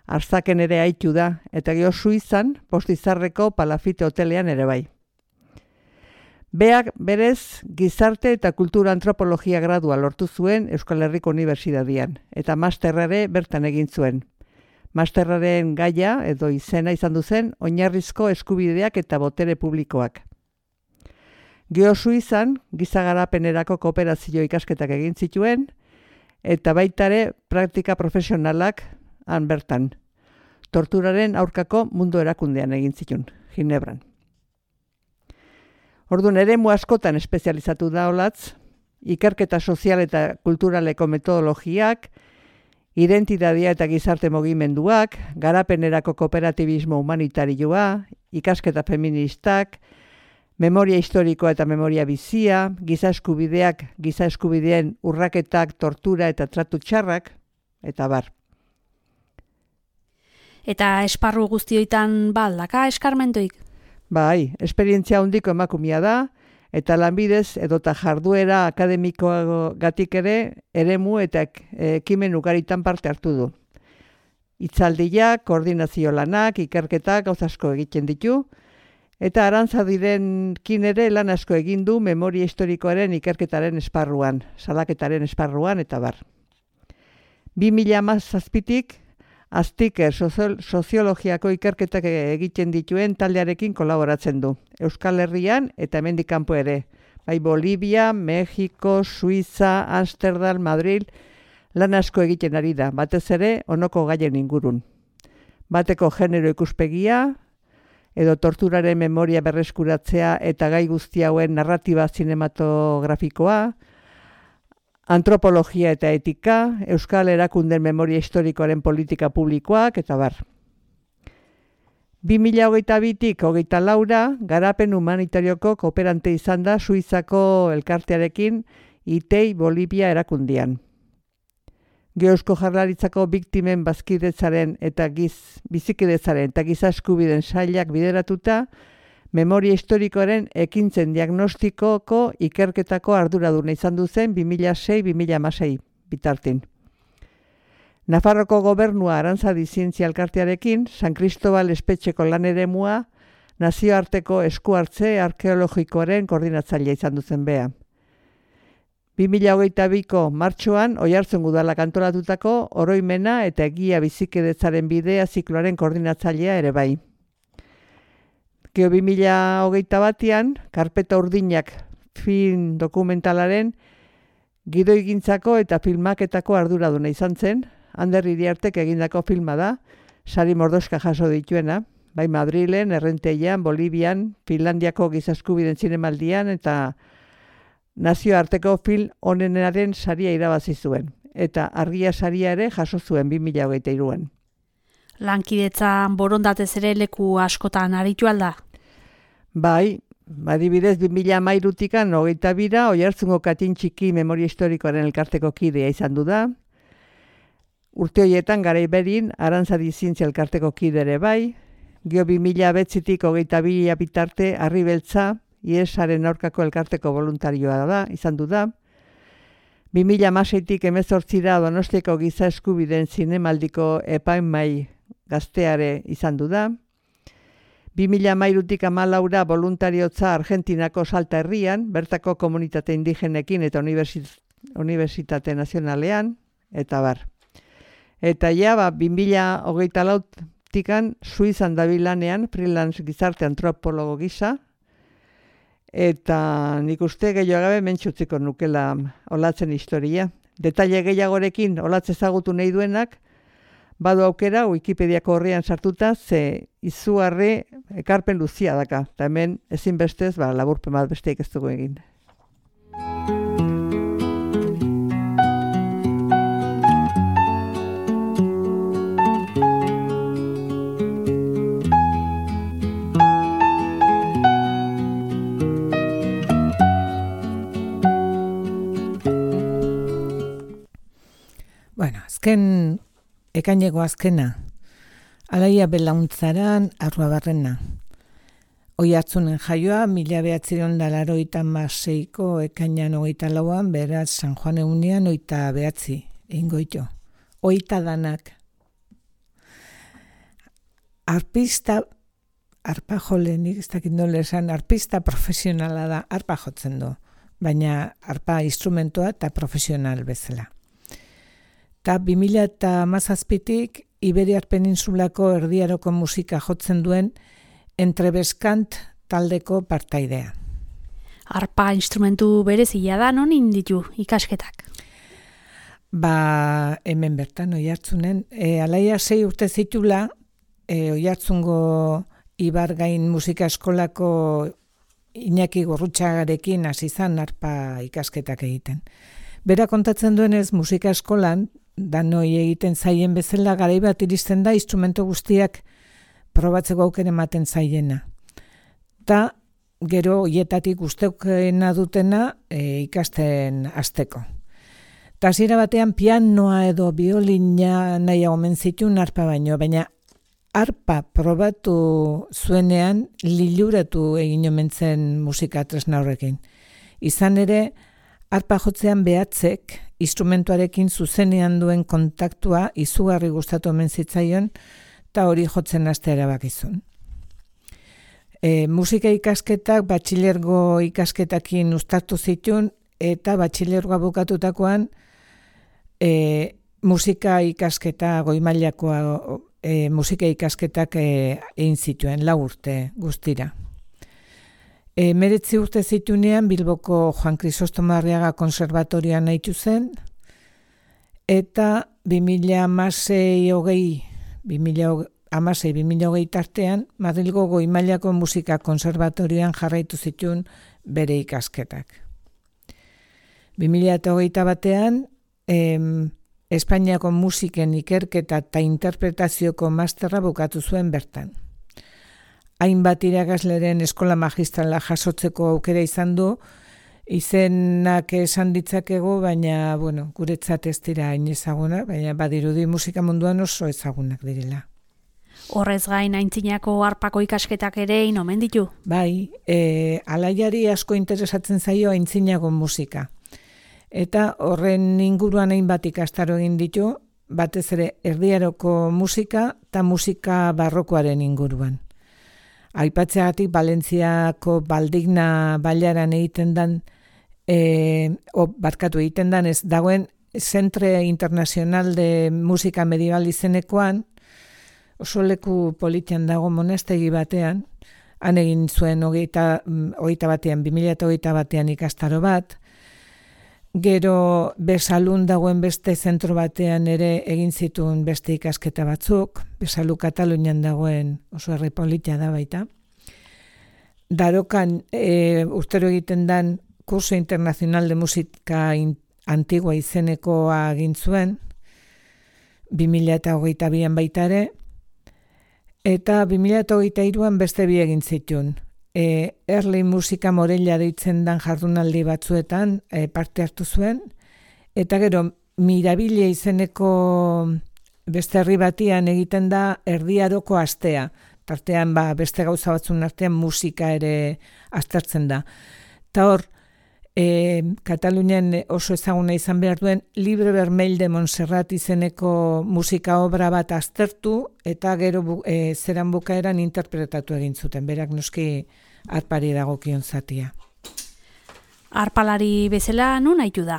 Arzaken ere aitu da eta gero Suizan Postizarreko Palafite hotelean ere bai. Beak berez gizarte eta kultura antropologia gradua lortu zuen Euskal Herriko Unibertsitatean eta masterrare bertan egin zuen. Masterraren gaia edo izena izan du zen oinarrizko eskubideak eta botere publikoak. Geo Suizan gizagarapenerako kooperazio ikasketak egin zituen eta baitare praktika profesionalak han bertan. Torturaren aurkako mundu erakundean egin zituen, Ginebran. Orduan eremu askotan espezializatu da Olatz, ikerketa sozial eta kulturaleko metodologiak, identitatea eta gizarte mugimenduak, garapenerako kooperatibismo humanitarioa, ikasketa feministak, memoria historikoa eta memoria bizia, giza eskubideak, giza eskubideen urraketak, tortura eta tratu txarrak, eta bar. Eta esparru guztioitan baldaka eskarmentoik? Bai, esperientzia handiko emakumea da, eta lanbidez edota jarduera akademikoagatik ere eremu eta ekimen ugaritan parte hartu du. Hitzaldiak, koordinazio lanak, ikerketak gauza asko egiten ditu, Eta Arantzadirekin ere lan asko egin du memoria historikoaren ikerketaren esparruan, salaketaren esparruan eta bar. bi mila hamazazpitik Aztiker soziologiako ikerketak egiten dituen taldearekin kolaboratzen du. Euskal Herrian eta hemendik kanpo ere. Bai Bolivia, Mexiko, Suiza, Amsterdam, Madrid, lan asko egiten ari da, batez ere honoko gaien ingurun. Bateko genero ikuspegia, edo torturaren memoria berreskuratzea eta gai guzti hauen narratiba zinematografikoa, antropologia eta etika, Euskal Erakunden memoria historikoaren politika publikoak, eta bar. bi mila hogeita bitik hogeita laura, garapen humanitarioko kooperante izan da Suizako elkartearekin I T E I Bolivia erakundian. Eusko Jaurlaritzako biktimen bazkidetzaren eta giz, bizikidetzaren eta giza eskubideen sailak bideratuta, memoria historikoaren ekintzen diagnostikoko ikerketako arduraduna izan du zen bi mila sei bi mila hamasei bitartin. Nafarroko gobernua Arantzadi zientzia elkartearekin, San Cristobal espetxeko lan eremua, nazioarteko eskuhartze arkeologikoaren koordinatzailea izan duzen bea. bi mila hogeita biko martxoan Oiartzun udalak antolatutako oroimena eta egia bizikidetzaren bidea zikloaren koordinatzailea ere bai. Gero bi mila hogeita batean, Karpeta Urdinak film dokumentalaren gidoigintzako eta filmaketako arduraduna izan zen, Ander Iriartek egindako filma da, sari mordoska jaso dituena, bai Madrilen, Errenteian, Bolivian, Finlandiako gizaskubiden zinemaldian eta nazioarteko film onenaren saria irabazi zuen, eta argia saria ere jaso zuen bi mila hogeita hiruan. Lankidetzan borondatez ere leku askotan aritu alda? Bai, adibidez bi mila hamairutikan hogeita bira, Oiartzungo Katin Txiki memoria historikoaren elkarteko kidea izan du da. Urte horietan garaiberin Arantzadi zientzia elkarteko kide ere bai. Gio bi mila betzitik hogeita bi bitarte Harri Beltza, Iesaren aurkako elkarteko voluntarioa da, izan du da. bi mila hamaseitik hemezortzira Donostiako giza eskubideen zinemaldiko epaimahai gazteare izan du da. bi mila hamairutik hamalaura voluntariotza Argentinako Salta herrian, bertako komunitate indigenekin eta Unibertsitate Nazionalean, eta bar. Eta ja, ba, bi mila hogeita lautikan Suizan dabilanean, freelance gizarte antropologo gisa, eta nik uste gehiago gabe mentxutziko nukela olatzen historia. Detaile gehiagorekin olatze ezagutu nahi duenak, badu aukera Wikipediako horrean sartuta, ze izugarri ekarpen luzia daka. Eta hemen ezinbestez, ba, laburpen bat besteik ez dugu egin. Bueno, azken ekaineko azkena, Alaia Belauntzaran Arruabarrena. Oiartzunen jaioa, mila behatzireun da laroita maseiko ekainan hogeita lauan, beraz San Juan egunean oita behatzi, ingoito. Oita danak. Arpista, arpa jolenik, ez dakit nola esan, arpista profesionala da, arpa jotzen du, baina arpa instrumentoa eta profesional bezala. Eta bi mila eta hamazazpitik Iberiar Peninsulako erdiaroko musika jotzen duen Entrebeskant taldeko partaidea. Arpa instrumentu berezia da, non inditu ikasketak? Ba, hemen bertan, Oiartzunen. E, alaia sei urte zitula, e, Oiartzungo Ibargain musika eskolako Iñaki Gorrutxagarekin hasi zan arpa ikasketak egiten. Bera kontatzen duenez, musika eskolan, danoi egiten zaien bezala garai bat iristen da instrumento guztiak probatzeko aukera ematen zaiena. Ta gero hoietatik gusteukena dutena e, ikasten hasteko. Ta hasiera batean pianoa edo biolina nahiago omen zituen arpa baino, baina arpa probatu zuenean liluratu egin omen zen musika tresna horrekin. Izan ere, arpa jotzean behatzek instrumentuarekin zuzenean duen kontaktua izugarri gustatu omen zitzaion eta hori jotzen hastea erabakizun. E, musika ikasketak batxilergo ikasketakin uztartu zituen, eta batxilergoa bukatutakoan e, musika ikasketa goimailakoa e, musika ikasketak e, egin zituen, lau urte guztira. E, meretzi urte zitunean Bilboko Juan Krisostomo Arriaga konserbatorioan nahitu zen, eta bi mila hamasei hogei, bi mila hamasei bi mila hogei tartean, Madrilgo Goimailako Musika Konserbatorioan jarraitu zituen bere ikasketak. bi mila hogeita batean, em, Espainiako musiken ikerketa eta interpretazioko masterra bukatu zuen bertan. Hainbat irakasleren eskola magistrala jasotzeko aukera izan du, izenak esan ditzakegu, baina, bueno, guretzat ez dira hain ezaguna, baina badirudi musika munduan oso ezagunak direla. Horrez gain aintzinako harpako ikasketak ere inomen ditu? Bai, e, alaiari asko interesatzen zaio aintzinako musika. Eta horren inguruan hainbat ikastaro egin ditu, batez ere erdiaroko musika eta musika barrokoaren inguruan. Aipatzeagatik Valentziako Baldigna bailaran egiten dan, e, o, barkatu egiten dan ez dagoen Centre Internacional de Musika Medieval izenekoan, oso leku politian dago monastegi batean, han egin zuen hogeita, hogeita batean, bi mila hogeita batean ikastaro bat, gero Besalun dagoen beste zentro batean ere egin zituen beste ikasketa batzuk, Besalu Katalunian dagoen oso herri politia da baita. Darokan e, urtero egiten dan Curso Internacional de Música Antigua izenekoa egin zuen, bi mila hogeita bian baita ere, eta bi mila hogeita hiruan beste bi egin zituen. E, Erli Musika Morella deitzen dan jardunaldi batzuetan e, parte hartu zuen, eta gero Mirabile izeneko beste herri batian egiten da erdiaroko astea, tartean ba, beste gauza batzun artean musika ere aztertzen da. Eta hor, e, Katalunian oso ezaguna izan behar duen Libre Vermell de Montserrat izeneko musika obra bat aztertu, eta gero bu, e, zeran bukaeran interpretatu egin zuten, berak noski harpari dagokion zatia. Harpalari bezala nun haitu da?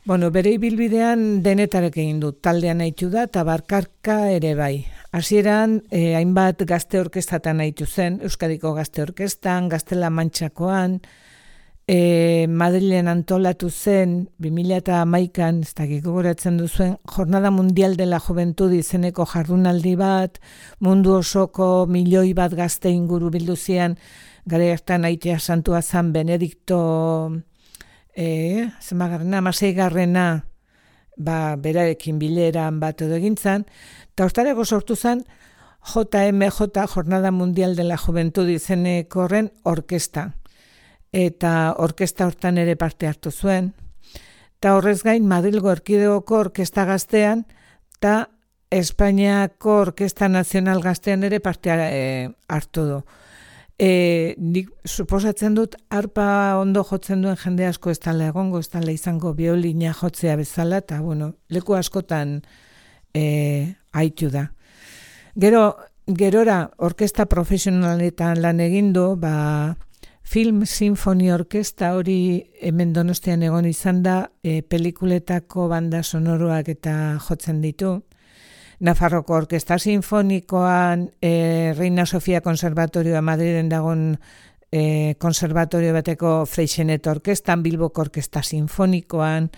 Bueno, bere ibilbidean denetarek egin du, taldean haitu da, eta barkarka ere bai. Hasieran eh, hainbat gazte orkestatan haitu zen, Euskadiko gazte orkestan, Gaztela Mantxakoan, eh, Madrilen antolatu zen, bi mila hamaikan, ez dakik gogoratzen duzuen, Jornada Mundial de la Juventud izeneko jardunaldi bat, mundu osoko milioi bat gazte inguru bildu zian, gara hartan aitea santua zan Benedikto e, zemagarrena, amaseigarrena, ba, berarekin bileran bat edo egintzan, eta hortareko sortu zen J M J, Jornada Mundial de la Juventud izeneko horren orkesta. Eta orkesta hortan ere parte hartu zuen. Eta horrez gain Madrilgo Erkidegoko orkesta gaztean, eta Espainiako Orkesta Nazional gaztean ere parte e, hartu du. E, nik suposatzen dut harpa ondo jotzen duen jende asko ez dala egongo, ez dala izango biolina jotzea bezala, eta bueno, leku askotan e, haitu da. Gero, gerora orkesta profesionaletan lan egin du, ba, Film Sinfoni Orkesta hori hemen Donostian egon izan da, e, pelikuletako banda sonoroak eta jotzen ditu. Nafarroko Orkesta Sinfonikoan, e, Reina Sofia Konservatorioa Madriden dagon e, konservatorio bateko Freixenet Orkestan, Bilboko Orkesta Sinfonikoan,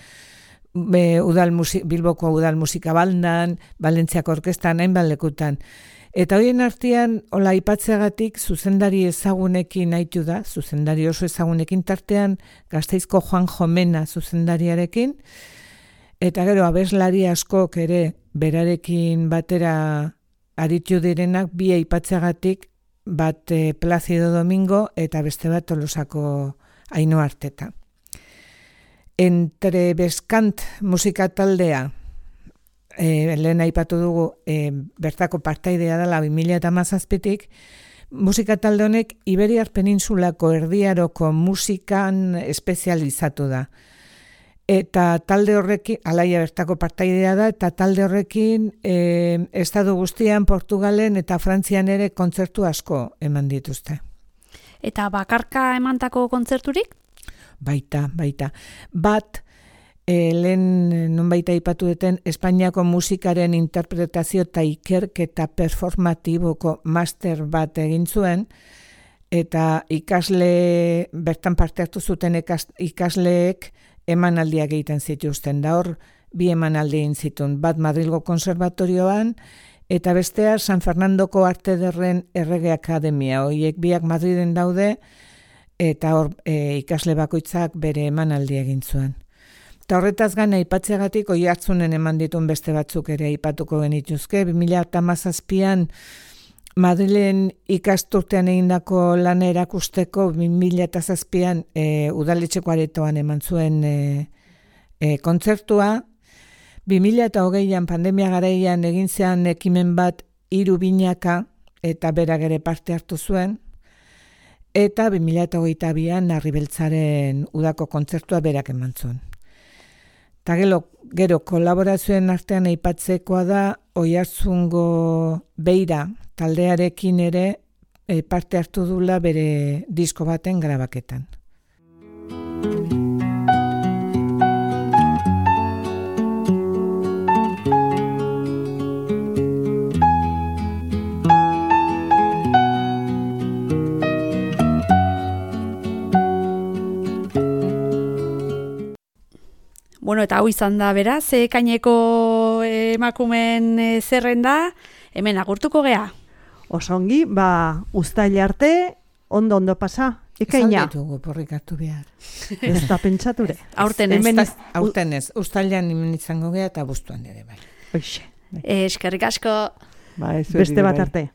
e, udal musi, Bilboko Udal Musika Bandan, Valentziako Orkestan, hainbat lekutan. Eta horien artean, hola aipatzeagatik zuzendari ezagunekin haitu da, zuzendari oso ezagunekin tartean, Gasteizko Juan Jomena zuzendariarekin, eta gero abeslari askok ere berarekin batera aritu direnak bi aipatzeagatik, bat eh, Placido Domingo eta beste bat Tolosako Ainhoa Arteta. Entre Beskant musika taldea, E, lehen aipatu dugu e, bertako partaidea dela bi mila hamazazpitik, musika talde honek Iberiar Peninsulako erdiaroko musikan espezializatu da. eta talde horrekin, Alaia bertako partaidea da, eta talde horrekin e, estadu guztian, Portugalen eta Frantzian ere kontzertu asko eman dituzte. Eta bakarka emantako kontzerturik? Baita, baita. Bat, e, lehen non baita ipatu duten, Espainiako musikaren interpretazio eta ikerketa performatiboko master bat egin zuen, eta ikasle, bertan parte hartu zuten ikasleek emanaldiak egiten zituzten. Da hor, bi emanaldi egin zituen. Bat Madrilgo Konservatorioan, eta bestea San Fernandoko Arte Ederren Errege Akademia. Horiek biak Madriden daude, eta hor e, ikasle bakoitzak bere emanaldi egin zuen. Eta horretaz gain aipatzeagatik Oiartzunen eman dituen beste batzuk ere aipatuko genituzke. bi mila hamazazpian Madrilen ikasturtean egindako lana erakusteko bi mila zazpian e, udaletxeko aretoan eman zuen e, e, kontzertua. bi mila hogeian pandemia garaian egin zean ekimen bat hiru binaka eta berak ere parte hartu zuen. Eta bi mila hogeita bian Arribeltzaren udako kontzertua berak eman zuen. Eta gero, gero kolaborazioen artean aipatzekoa da Oiartzungo Beira taldearekin ere e, parte hartu dula bere disko baten grabaketan. Bueno, eta hau izan da beraz, ekaineko emakumen e, zerrenda, hemen agurtuko gea. Osongi, ba, uztaila arte, ondo ondo pasa, ekaina. Ez alditugu porrik hartu behar. Ez da pentsature. Aurten ez. Hemen ez, aurten ez, uztailan hemen izango gea eta buztuan ere bai. Oixe. Eskerrik asko. Ba, ez Beste bat arte.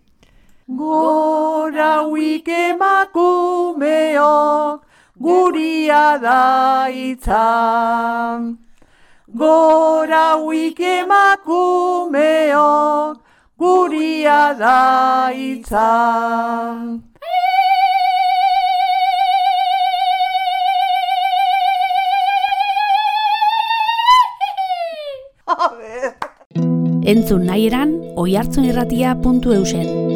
Gora huik emakumeok, guria da itzan. Gora huik emakumeok, guria da itzan. Entzun nahi eran, oiartzunirratia puntu eusen.